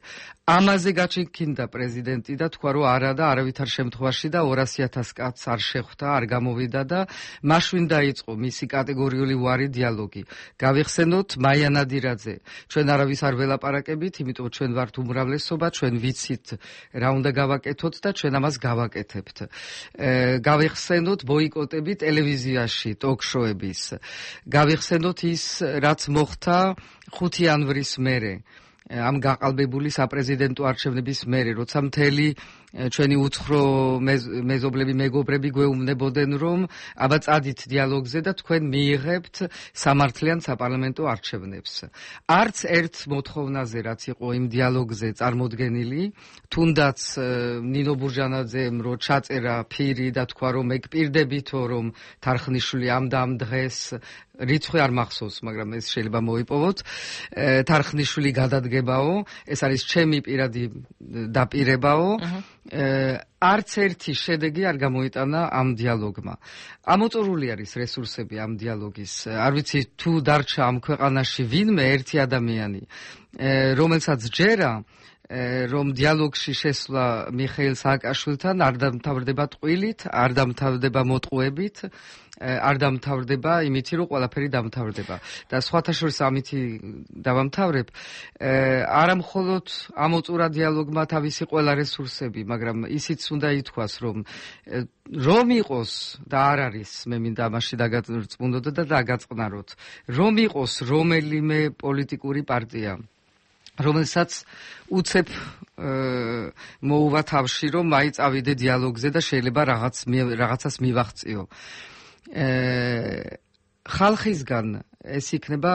ამაზე გაჩინქინდა პრეზიდენტი და თქვა რომ არა და არავითარ შემთხვევაში და ორასი ათას კაცს არ შეხვდა, არ გამოვიდა და მაშინ დაიწყო მისი კატეგორიული უარი დიალოგი. გავიხსენოთ მაია ნადირაძე, ჩვენ არავის არ ველაპარაკებით, იმიტომ ჩვენ ვართ უმრავლესობა, ჩვენ ვიცით რა უნდა გავაკეთოთ და ჩვენ ამას გავაკეთებთ. გავიხსენოთ ბოიკოტები ტელევიზიაში, ტოქ-შოების. გავიხსენოთ ის, რაც მოხდა ხუთი იანვრის მერე. ამ გაყალბებული საპრეზიდენტო არჩევნების მერე, როცა მთელი ჩვენი უცხრო მეზობლები, მეგობრები გვეუბნებოდნენ, რომ აბა წადით დიალოგზე და თქვენ მიიღებთ სამართლიან საპარლამენტო არჩევნებს. არც ერთ მოთხოვნაზე, რაც იყო იმ დიალოგზე წარმოდგენილი, თუნდაც ნინო ბურჯანაძემ რო ჩაწერა ფირი და თქვა რომ მე გპირდებითო რომ თარხნიშვილი ამ და ამ დღეს რიცხვი არ მახსოვს, მაგრამ ეს შეიძლება მოიპოვოთ, თარხნიშვილი გადადგებაო, ეს არის ჩემი პირადი დაპირებაო, არც ერთი შედეგი არ გამოიტანა ამ დიალოგმა. ამოწურული არის რესურსები ამ დიალოგის. არ ვიცი თუ დარჩა ამ ქვეყანაში ვინმე ერთი ადამიანი, რომელსაც ჯერა რომ დიალოგში შესვლა მიხეილ სააკაშვილთან არ დამთავრდება ტყუილით, არ დამთავრდება მოტყუებით, არ დამთავრდება იმითი, რომ ყველაფერი დამთავრდება. და სხვათა შორის ამითი დავამთავრებ, არა მხოლოდ ამოწურა დიალოგმა თავისი ყველა რესურსები, მაგრამ ისიც უნდა ითქვას, რომ რომ იყოს და არ არის, მე მინდა ამაში დაგაწმუნდოთ და დაგაწყნაროთ, რომ იყოს რომელიმე პოლიტიკური პარტია, რომელსაც უცებ მოუვა თავში, რომ აი წავიდე დიალოგზე და შეიძლება რაღაც რაღაცას მივაღწიო. ხალხისგან ეს იქნება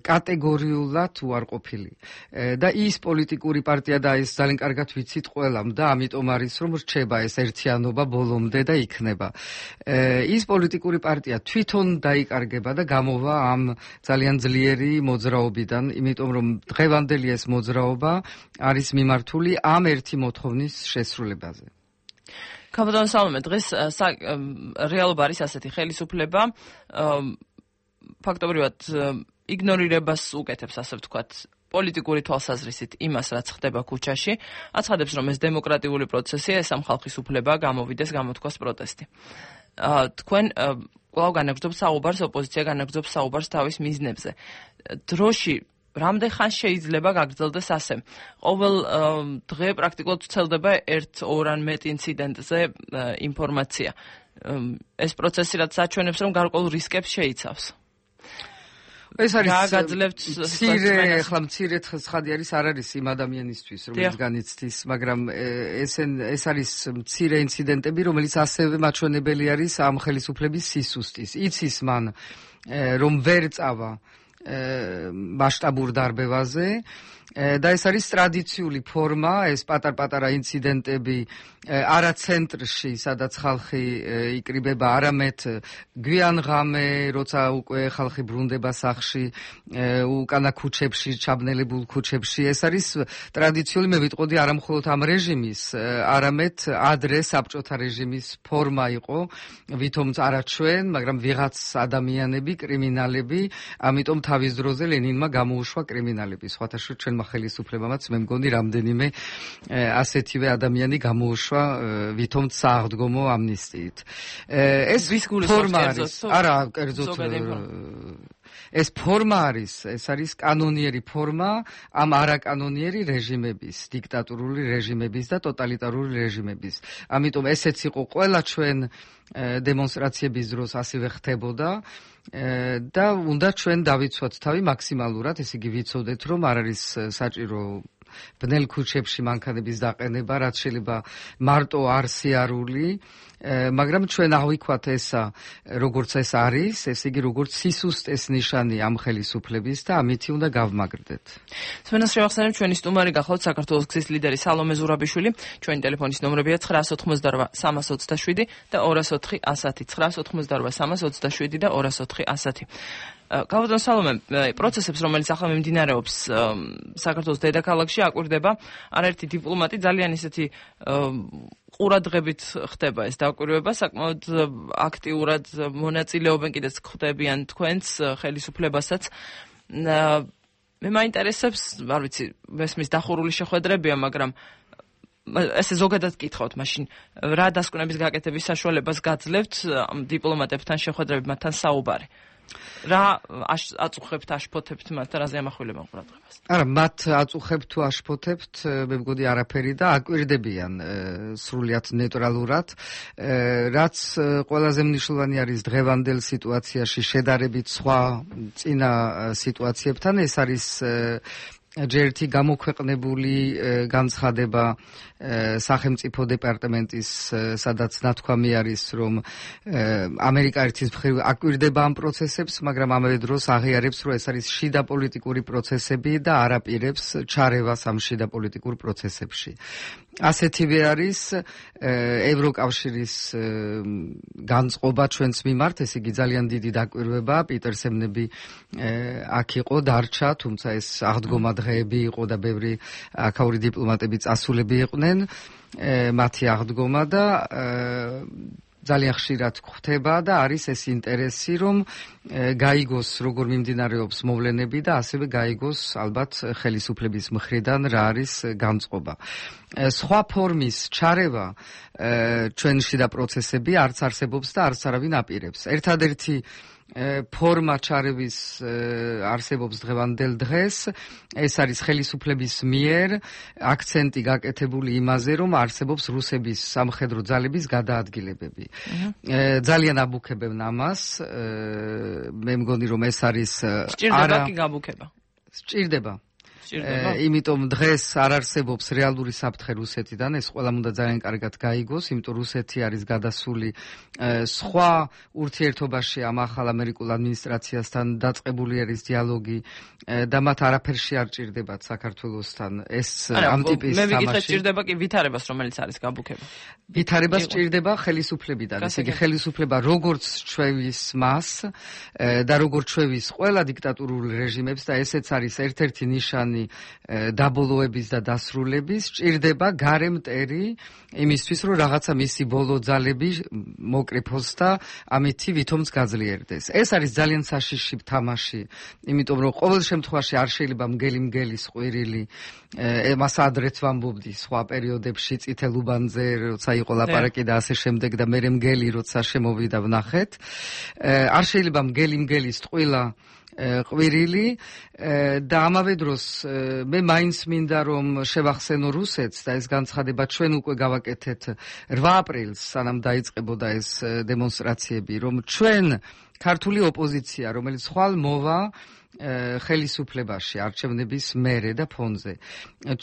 კატეგორიულად უარყოფილი და ის პოლიტიკური პარტია და ეს ძალიან კარგად ვიცით ყველამ და ამიტომ არის რომ რჩება ეს ერთიანობა ბოლომდე და იქნება ის პოლიტიკური პარტია თვითონ დაიკარგება და გამოვა ამ ძალიან ძლიერი მოძრაობიდან იმიტომ რომ დღევანდელი ეს მოძრაობა არის მიმართული ამ ერთი მოთხოვნის შესრულებაზე კაპიტან სალომე დღეს რეალობა არის ასეთი ხელისუფლება ფაქტობრივად იგნორირებას უკეთებს ასე ვთქვათ პოლიტიკური თვალსაზრისით იმას რაც ხდება ქუჩაში აცხადებს რომ ეს დემოკრატიული პროცესია ეს ამ ხალხის უფლება გამოვიდეს გამოთქვას პროტესტი თქვენ კვლავ განაგრძობთ საუბარს ოპოზიცია განაგრძობს საუბარს თავის მიზნებზე დროში რამდენ ხანს შეიძლება გაგრძელდეს ასე ყოველ დღე პრაქტიკულად ვრცელდება ერთ ორ ან მეტ ინციდენტზე ინფორმაცია ეს პროცესი რაც საჩვენებს რომ გარკვეულ რისკებს შეიცავს ეს არის მცირე ახლა მცირე ცხადი არის არ არის იმ ადამიანისთვის რომელიც განიცდის მაგრამ ესენ ეს არის მცირე ინციდენტები რომელიც ასევე მაჩვენებელი არის ამ ხელისუფლების სისუსტის იცის მან რომ ვერ წავა მასშტაბურ დარბევაზე და ეს არის ტრადიციული ფორმა ეს პატარ-პატარა ინციდენტები არა ცენტრში სადაც ხალხი იკრიბება არამედ გვიანღამე როცა უკვე ხალხი ბრუნდება სახლში უკანა ქუჩებში ჩაბნელებულ ქუჩებში ეს არის ტრადიციული მე ვიტყოდი არა მხოლოდ ამ რეჟიმის არამედ ადრე საბჭოთა რეჟიმის ფორმა იყო ვითომც არა ჩვენ მაგრამ ვიღაც ადამიანები კრიმინალები ამიტომ თავის დროზე ლენინმა გამოუშვა კრიმინალები სხვათა შორის ჩვენ ხელისუფლებამაც მე მგონი რამდენიმე ასეთივე ადამიანი გამოუშვა ვითომც სააღდგომო ამნისტიით ეს ფორმა არის არა კერძოდ ეს ფორმა არის ეს არის კანონიერი ფორმა ამ არაკანონიერი რეჟიმების დიქტატურული რეჟიმების და ტოტალიტარული რეჟიმების ამიტომ ესეც იყო ყველა ჩვენ დემონსტრაციების დროს ასევე ხდებოდა და უნდა ჩვენ დავიცვათ თავი მაქსიმალურად ესე იგი ვიცოდეთ რომ არ არის საჭირო ბნელ ქუჩებში მანქანების დაყენება რაც შეიძლება მარტო არ სიარული მაგრამ ჩვენ ავიქვათ ესა როგორც ეს არის ესე იგი როგორც სისუსტეს ნიშანი ამ ხელისუფლების და ამითი უნდა გავმაგრდეთ სვენას შევახსენებ ჩვენი სტუმარი გახლავთ საქართველოს გზის ლიდერი სალომე ზურაბიშვილი ჩვენი ტელეფონის ნომრებია ცხრაასი ოცდაოთხი სამასი ოცდაშვიდი და ორასი ოთხი ასათი ცხრაასი ოცდაოთხი სამასი ოცდაშვიდი და ორასი ოთხი ასათი კაპიტან სალომე პროცესებს რომელიც ახლა მიმდინარეობს საქართველოს დედაქალაქში აკვირდება არაერთი დიპლომატი ძალიან ისეთი ყურადღებით ხდება ეს დაკვირვება საკმაოდ აქტიურად მონაწილეობენ კიდეც ხდებიან თქვენს ხელისუფლებასაც მე მაინტერესებს არ ვიცი მესმის დახურული შეხვედრებია მაგრამ ესე ზოგადად გითხავთ მაშინ რა დასკვნების გაკეთების საშუალებას გაძლევთ დიპლომატებთან შეხვედრები მათთან საუბარი რა აწუხებთ აშფოთებთ მათ რაზე ამახვილებენ ყურადღებას არა მათ აწუხებთ თუ აშფოთებთ მე მგონი არაფერი და აკვირდებიან სრულიად ნეიტრალურად რაც ყველაზე მნიშვნელოვანი არის დღევანდელ სიტუაციაში შედარებით სხვა წინა სიტუაციებთან ეს არის ჯერთი გამოქვეყნებული განცხადება სახელმწიფო დეპარტამენტის სადაც ნათქვამი არის რომ ამერიკა ერთის მხრივ აკვირდება ამ პროცესებს მაგრამ ამავე დროს აღიარებს რომ ეს არის შიდა პოლიტიკური პროცესები და არ აპირებს ჩარევას ამ შიდა პოლიტიკურ პროცესებში ასეთივე არის ევროკავშირის განწყობა ჩვენს მიმართ ეს იგი ძალიან დიდი დაკვირვება პიტერსემნები აქ იყო დარჩა თუმცა ეს აღდგომა დღეები იყო და ბევრი აქაური დიპლომატები წასულები იყვნენ მათი აღდგომა და ძალიან ხშირად გვხვდება და არის ეს ინტერესი რომ გაიგოს როგორ მიმდინარეობს მოვლენები და ასევე გაიგოს ალბათ ხელისუფლების მხრიდან რა არის განწყობა სხვა ფორმის ჩარევა ჩვენში და პროცესები არც არსებობს და არც არავინ აპირებს ერთადერთი ფორმა ჩარევის არსებობს დღევანდელ დღეს ეს არის ხელისუფლების მიერ აქცენტი გაკეთებული იმაზე რომ არსებობს რუსების სამხედრო ძალების გადაადგილებები ძალიან აბუქებენ ამას მე მგონი რომ ეს არის სჭირდება კი გაბუქება სჭირდება იმიტომ დღეს არ არსებობს რეალური საფრთხე რუსეთიდან, ეს ყველამ უნდა ძალიან კარგად გაიგოს, იმიტომ რუსეთი არის გადასული სხვა ურთიერთობაში ამ ახალ ამერიკულ ადმინისტრაციასთან დაწყებული არის დიალოგი და მათ არაფერში არ ჭირდებათ საქართველოსთან ეს ამ ტიპის თამაში. მე ვიგითხე ჭირდება კი ვითარებას, რომელიც არის გაბუქება. ვითარებას ჭირდება ხელისუფლებიდან, ესე იგი ხელისუფლება როგორც ჩვევის მას და როგორც ჩვევის ყველა დიქტატურულ რეჟიმებს და ესეც არის ერთ-ერთი ნიშანი დაბოლოების და დასრულების, ჭირდება გარე მტერი იმისთვის, რომ რაღაცა მისი ბოლო ძალები მოკრიფოს და ამითი ვითომც გაძლიერდეს. ეს არის ძალიან საშიში თამაში, იმიტომ რომ ყოველ შემთხვევაში არ შეიძლება მგელი მგელის ყვირილი, მას ადრეც ვამბობდი სხვა პერიოდებში წითელ უბანზე, როცა იყო ლაპარაკი და ასე შემდეგ და მერე მგელი როცა შემოვიდა ვნახეთ. არ შეიძლება მგელი მგელის ტყვილა ყვირილი და ამავე დროს მე მაინც მინდა რომ შევახსენო რუსეთს და ეს განცხადება ჩვენ უკვე გავაკეთეთ რვა აპრილს, სანამ დაიწყებოდა ეს დემონსტრაციები, რომ ჩვენ ქართული ოპოზიცია, რომელიც ხვალ მოვა ხელისუფლებაში არჩევნების მერე და ფონზე.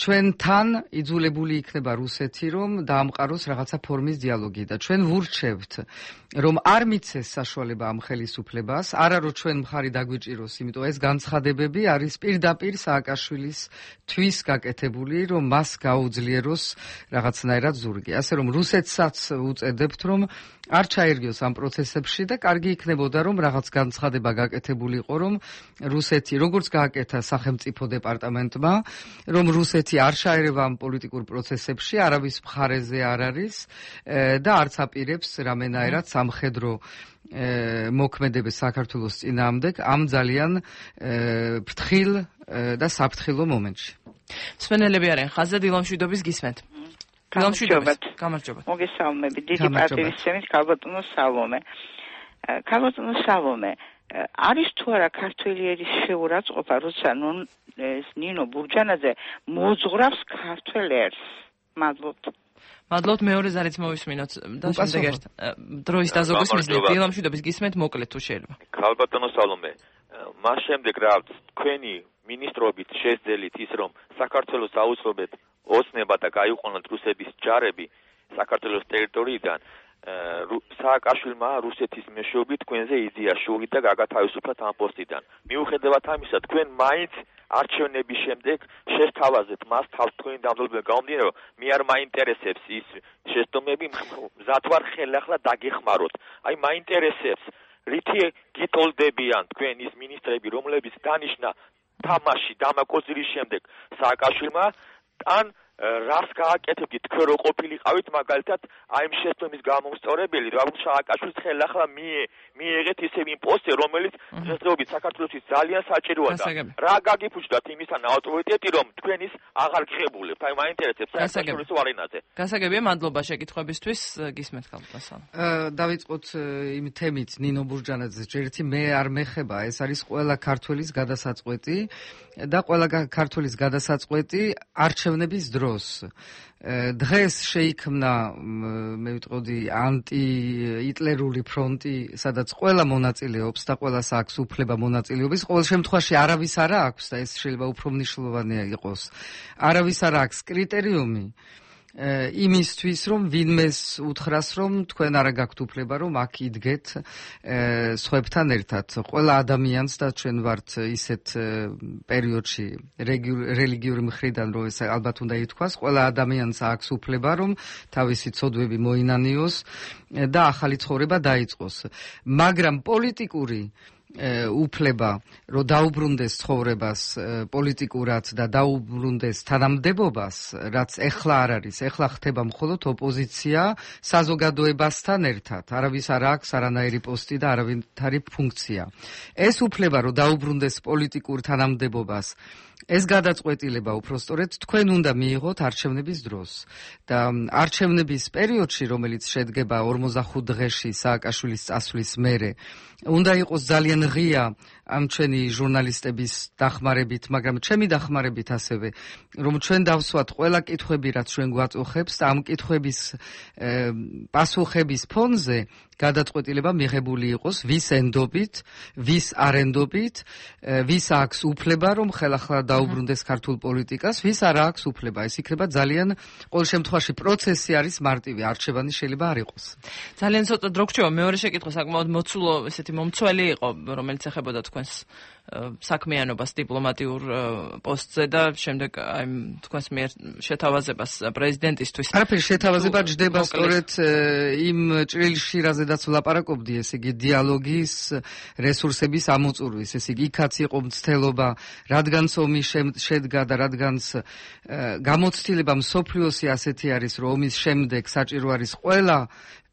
ჩვენთან იძულებული იქნება რუსეთი, რომ დაამყაროს რაღაცა ფორმის დიალოგი და ჩვენ ვურჩევთ, რომ არ მიცეს საშუალება ამ ხელისუფლებას, არა რომ ჩვენ მხარი დაგვიჭიროს, იმიტომ ეს განცხადებები არის პირდაპირ სააკაშვილის თვის გაკეთებული, რომ მას გაუძლიეროს რაღაცნაირად ზურგი. ასე რომ რუსეთსაც უწედებთ, რომ არ ჩაერგიოს ამ პროცესებში და კარგი იქნებოდა, რომ რაღაც განცხადება გაკეთებულიყო, რომ რუსეთი, როგორც გააკეთა სახელმწიფო დეპარტამენტმა, რომ რუსეთი არ ჩაერევა ამ პოლიტიკურ პროცესებში, არავის მხარეზე არ არის და არც აპირებს რამენაერად სამხედრო მოქმედებას საქართველოს წინააღმდეგ ამ ძალიან ფრთხილ და საფრთხილო მომენტში. მსმენელები არიან ხაზზე, დილამშვიდობის გისმენთ. გამარჯობათ. გამარჯობათ. მოგესალმებით. დიდი პატივისცემით ქალბატონო სალომე. ქალბატონო სალომე, არის თუ არა ქართველი ერის შეურაცხყოფა, როცა ნინო ბურჯანაძე მოძღვრავს ქართველ ერს? მადლობთ. მადლობთ, მეორე ზარიც მოვისმინოთ და შემდეგ ერთ დროის დაზოგვის მიზნით დილამშვიდობის გისმენთ, მოკლედ თუ შეიძლება. ქალბატონო სალომე, მას შემდეგ რა თქვენი მინისტრობით შეძელით ის, რომ საქართველოს აუცილებლად ოცნება და გაიყვანოთ რუსების ჯარები საქართველოს ტერიტორიიდან, სააკაშვილმა რუსეთის მეშვეობით თქვენზე იზია შური და გაგათავისუფლათ ამ პოსტიდან. მიუხედავად ამისა, თქვენ მაინც არჩევნების შემდეგ შესთავაზეთ მას თავს თქვენი დამზადებიდან გამომდინარე, რომ მე არ მაინტერესებს ის შეცდომები, მზად ვარ ხელახლა დაგეხმაროთ. აი მაინტერესებს, რითი გიტოლდებიან თქვენ ის მინისტრები, რომლებიც დანიშნა თამაში დამაკოძირის შემდეგ სააკაშვილმა, ან რას გააკეთებდით თქვენ რო ყოფილიყავით მაგალითად აი ამ შეცდომის გამომსწორებელი, რომ სააკაშვილს ხელახლა მიიღეთ ისევ იმ პოსტზე, რომელიც დღესდღეობით საქართველოსთვის ძალიან საჭიროა და რა გაგიფუჭდათ იმისთან ავტორიტეტი, რომ თქვენ ის აღარ გღებულებთ. აი მაინტერესებს სააკაშვილის ვარენაზე. გასაგებია, მადლობა შეკითხვებისთვის, გისმენთ ქალბატონო. დავიწყოთ იმ თემით ნინო ბურჯანაძეს, ჯერთი მე არ მეხება, ეს არის ყველა ქართველის გადასაწყვეტი და ყველა ქართველის გადასაწყვეტი არჩევნების დრო. დღეს შეიქმნა, მე ვიტყოდი, ანტიიტლერული ფრონტი, სადაც ყველა მონაწილეობს და ყველას აქვს უფლება მონაწილეობის. ყოველ შემთხვევაში არავის არ აქვს და ეს შეიძლება უფრო მნიშვნელოვანია იყოს. არავის არ აქვს კრიტერიუმი იმისთვის, რომ ვინმეს უთხრას, რომ თქვენ არა გაქვთ უფლება, რომ აქ იდგეთ სხვებთან ერთად. ყველა ადამიანს და ჩვენ ვართ ისეთ პერიოდში რელიგიური მხრიდან, რომ ეს ალბათ უნდა ითქვას, ყველა ადამიანს აქვს უფლება, რომ თავისი ცოდვები მოინანიოს და ახალი ცხოვრება დაიწყოს. მაგრამ პოლიტიკური უფლება, რომ დაუბრუნდეს ცხოვრებას პოლიტიკურად და დაუბრუნდეს თანამდებობას, რაც ეხლა არ არის, ეხლა ხდება მხოლოდ ოპოზიცია საზოგადოებასთან ერთად. არავის არ აქვს არანაირი პოსტი და არავითარი ფუნქცია. ეს უფლება, რომ დაუბრუნდეს პოლიტიკურ თანამდებობას, ეს გადაწყვეტილება უпростоრედ თქვენ უნდა მიიღოთ არჩევნების დროს და არჩევნების პერიოდში, რომელიც შედგება ორმოცდახუთ დღეში სააკაშვილის წასვლის მერე, უნდა იყოს ძალიან ღია ამ ჩვენი ჟურნალისტების დახმარებით, მაგრამ ჩემი დახმარებით ასევე, რომ ჩვენ დავსვათ ყველა კითხვები, რაც ჩვენ გვაწუხებს და ამ კითხვების პასუხების ფონზე გადაწყვეტილება მიღებული იყოს ვის ენდობით, ვის არ ენდობით, ვის აქვს უფლება, რომ ხელახლა დაუბრუნდეს ქართულ პოლიტიკას, ვის არ აქვს უფლება. ეს იქნება ძალიან ყოველ შემთხვევაში პროცესი არის მარტივი, არჩევანი შეიძლება არ იყოს. ძალიან ცოტა დრო გრჩება. მეორე შეკითხვა საკმაოდ მოცულო, ესეთი მომცველი იყო, რომელიც ეხებოდა თქვენს საქმიანობას დიპლომატიურ პოსტზე და შემდეგ აი თქვენს მიერ შეთავაზებას პრეზიდენტისთვის. არაფერი შეთავაზება ჯდება სწორედ იმ ჭრილში, რაზედაც ვლაპარაკობდი, ესე იგი დიალოგის რესურსების ამოწურვის, ესე იგი იქაც იყო მცდელობა, რადგანაც ომი შედგა და რადგანაც გამოცდილება მსოფლიოსი ასეთი არის, რომ ომის შემდეგ საჭირო არის ყველა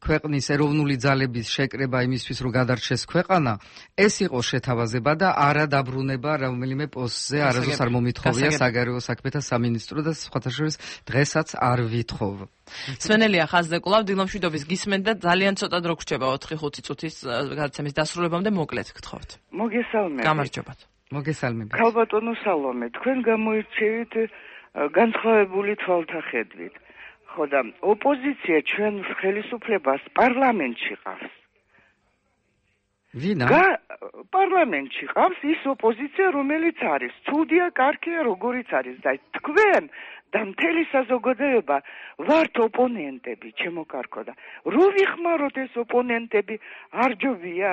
ქვეყნის ეროვნული ძალების შეკრება იმისთვის, რომ გადარჩეს ქვეყანა, ეს იყო შეთავაზება და არა დაბრუნება რომელიმე პოსტზე, არასდროს არ მომითხოვია საგარეო საქმეთა სამინისტრო და სხვათა შორის დღესაც არ ვითხოვ. სვენელია ხაზზე კვლავ დილომშვიდობის გისმენთ და ძალიან ცოტა დრო გრჩება ოთხი ხუთი წუთის გადაცემის დასრულებამდე მოკლედ გთხოვთ. მოგესალმებით. გამარჯობათ. მოგესალმებით. ქალბატონო სალომე, თქვენ გამოირჩევით განსხვავებული თვალთახედვით. ხო და ოპოზიცია ჩვენ ხელისუფლებას პარლამენტში ყავს. ვინა? პარლამენტში ყავს ის ოპოზიცია, რომელიც არის ცუდია, კარგია, როგორიც არის და თქვენ და მთელი საზოგადოება ვართ ოპონენტები, ჩემო კარგო და რო ვიხმაროთ ეს ოპონენტები არ ჯობია?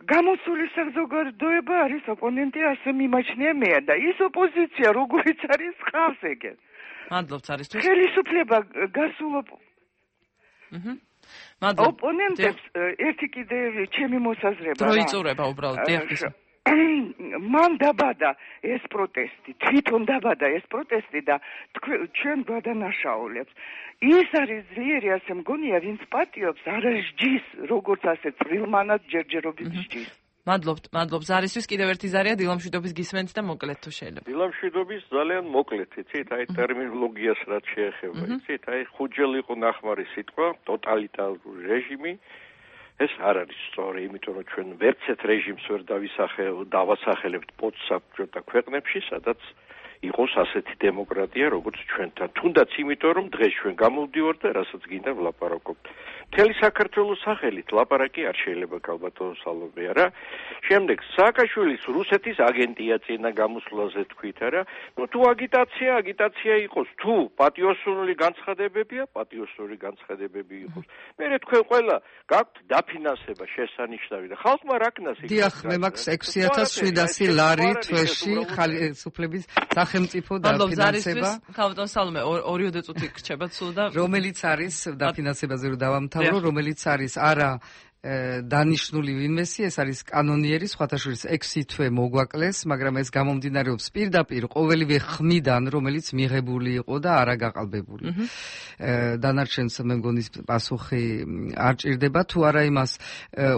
გამოსული საზოგადოება არის ოპონენტი, ასე მიმაჩნია მე და ის ოპოზიცია, როგორიც არის ყავს ეგეთ. მადლობთ არისთვის. ხელისუფლება გასულობ. აჰა. მადლობთ. ოპონენტებს ერთი კიდე ჩემი მოსაზრება. დრო იწურება უბრალოდ, დიახ. მან დაბადა ეს პროტესტი, თვითონ დაბადა ეს პროტესტი და ჩვენ გადანაშაულებს. ის არის ძლიერი, ასე მგონია, ვინც პატიობს, არა სჯის, როგორც ასე წვრილმანად ჯერჯერობით სჯის. მადლობთ, მადლობთ. ზარისთვის კიდევ ერთი ზარია დილომშვიდობის გისმენთ და მოკლედ თუ შეიძლება. დილომშვიდობის ძალიან მოკლედ, იცით, აი ტერმინოლოგიას რაც შეეხება, იცით, აი ხუჯელი იყო ნახმარი სიტყვა, ტოტალიტარული რეჟიმი. ეს არ არის სწორი, იმიტომ რომ ჩვენ ვერცეთ რეჟიმს ვერ დავასახელებთ პოსტსაბჭოთა ქვეყნებში, სადაც იყოს ასეთი დემოკრატია, როგორც ჩვენთან. თუნდაც იმიტომ, რომ დღეს ჩვენ გამოვდივართ და რასაც გინდა ვლაპარაკობთ. მთელი საქართველოს სახელით ლაპარაკი არ შეიძლება ქალბატონო სალომე არა. შემდეგ სააკაშვილის რუსეთის აგენტია წინა გამოსვლაზე თქვით არა. ნუ თუ აგიტაცია, აგიტაცია იყოს, თუ პატიოსული განცხადებებია, პატიოსული განცხადებები იყოს. მერე თქვენ ყველა გაქვთ დაფინანსება შესანიშნავი და ხალხმა რა ქნას იქნება. დიახ, მე მაქვს ექვსი ათას შვიდასი ლარი თვეში ხელისუფლების სახელმწიფო დაფინანსება. ქალბატონო სალომე ორიოდე წუთი გრჩება სულ და რომელიც არის დაფინანსებაზე რომ დავამთავრო, რომელიც არის არა დანიშნული ვინმესი, ეს არის კანონიერი, სხვათა შორის ექვსი თვე მოგვაკლეს, მაგრამ ეს გამომდინარეობს პირდაპირ ყოველივე ხმიდან, რომელიც მიღებული იყო და არა გაყალბებული. დანარჩენს მე მგონი პასუხი არ ჭირდება, თუ არა იმას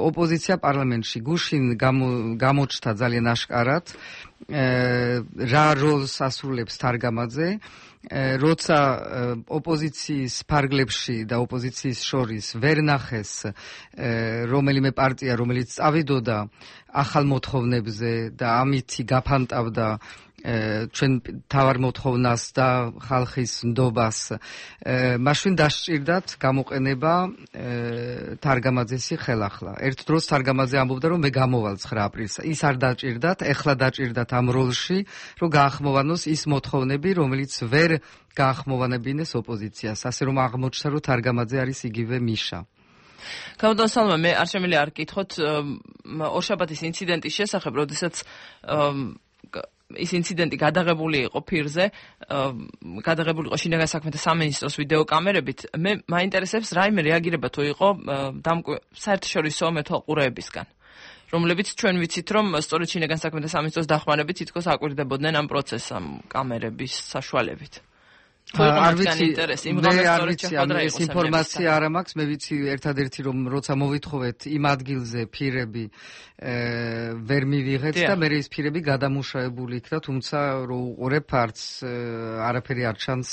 ოპოზიცია პარლამენტში გუშინ გამოჩნდა ძალიან აშკარად რა როლს ასრულებს თარგამაძე. როცა ოპოზიციის ფარგლებში და ოპოზიციის შორის ვერ ნახეს რომელიმე პარტია, რომელიც წავიდოდა ახალ მოთხოვნებზე და ამითი გაფანტავდა ჩვენ თავარ მოთხოვნას და ხალხის ნდობას, მაშინ დასჭირდათ გამოყენება თარგამაძესი ხელახლა. ერთ დროს თარგამაძე ამბობდა, რომ მე გამოვალ ცხრა აპრილს. ის არ დაჭირდათ, ეხლა დაჭირდათ ამ როლში, რომ გაახმოვანოს ის მოთხოვნები, რომელიც ვერ გაახმოვანებინეს ოპოზიციას. ასე რომ აღმოჩნდა, რომ თარგამაძე არის იგივე მიშა. ქალბატონო სალომე, მე არ შემიძლია არ გკითხოთ ორშაბათის ინციდენტის შესახებ, როდესაც ის ინციდენტი გადაღებული იყო ფირზე, გადაღებული იყო შინაგან საქმეთა სამინისტროს ვიდეოკამერებით. მე მაინტერესებს რაიმე რეაგირება თუ იყო საერთაშორისო მეთვალყურეებისგან, რომლებიც ჩვენ ვიცით, რომ სწორედ შინაგან საქმეთა სამინისტროს დახმარებით თითქოს აკვირდებოდნენ ამ პროცესს ამ კამერების საშუალებით. არ ვიცი, მე არ ვიცი, ეს ინფორმაცია არ მაქვს, მე ვიცი ერთადერთი რომ როცა მოვითხოვეთ იმ ადგილზე ფირები ვერ მივიღეთ და მე ის ფირები გადამუშავებული იქნა, თუმცა რო უყურებ არც არაფერი არ ჩანს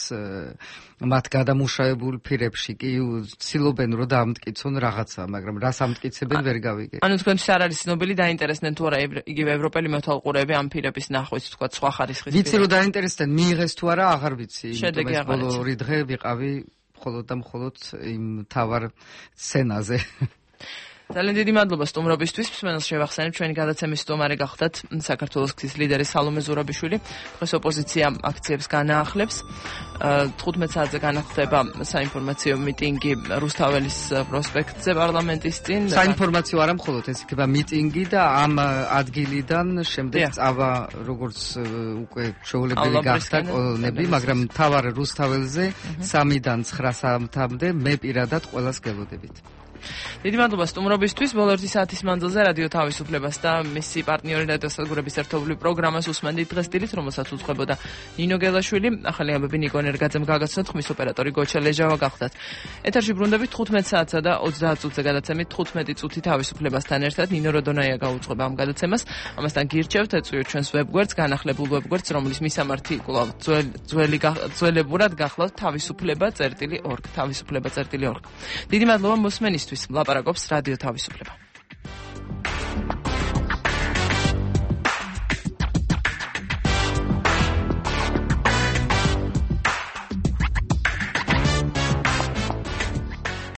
მათ გადამუშავებულ ფირებში, კი ცდილობენ რომ დაამტკიცონ რაღაცა, მაგრამ რას ამტკიცებენ ვერ გავიგე. ანუ თქვენთვის არ არის ცნობილი, დაინტერესდნენ თუ არა იგივე ევროპელი მეთვალყურეები ამ ფირების ნახვის, თქვა სხვა ხარისხის ფირები. ვიცი რომ დაინტერესდნენ, მიიღეს თუ არა აღარ ვიცი. ეს ბოლო ორი დღე ვიყავი მხოლოდ და მხოლოდ იმ თავარ სცენაზე. ძალიან დიდი მადლობა სტუმრობისთვის. მსმენელს შევახსენებ, ჩვენი გადაცემის სტუმარი გახდათ საქართველოს ქტის ლიდერი სალომე ზურაბიშვილი. დღეს ოპოზიცია აქციებს განაახლებს. თხუთმეტ საათზე განახლდება საინფორმაციო მიტინგი რუსთაველის პროსპექტზე პარლამენტის წინ. საინფორმაციო არა მხოლოდ ეს იქნება მიტინგი და ამ ადგილიდან შემდეგ წავა როგორც უკვე შეუძლებელი გახდა კოლონები, მაგრამ მთავარ რუსთაველზე სამიდან ცხრა საათამდე მე პირადად ყველას გელოდებით. დიდი მადლობა სტუმრობისთვის. ბოლო ერთი საათის მანძილზე რადიო თავისუფლებას და მისი პარტნიორი რადიოსადგურების ერთობლივ პროგრამას უსმენდით დღეს დილით, რომელსაც უძღვებოდა ნინო გელაშვილი. ახალი ამბები ნიკო ენერგაძემ გაგაცნოთ, ხმის ოპერატორი გოჩა ლეჟავა გახდათ. ეთერში ბრუნდებით თხუთმეტ საათსა და ოცდაათ წუთზე გადაცემით თხუთმეტი წუთი თავისუფლებასთან ერთად. ნინო როდონაია გაუძღვება ამ გადაცემას. ამასთან გირჩევთ ეწვიოთ ჩვენს ვებგვერდს, განახლებულ ვებგვერდს, რომლის მისამართი კვლავ ძველი ძველებურად გახლავთ თავისუფლება წერტილი ორგ. თავისუფლება წერტილი ორგ. დიდი მადლობა მოსმენისთვის. ლაპარაკობს რადიო თავისუფლება.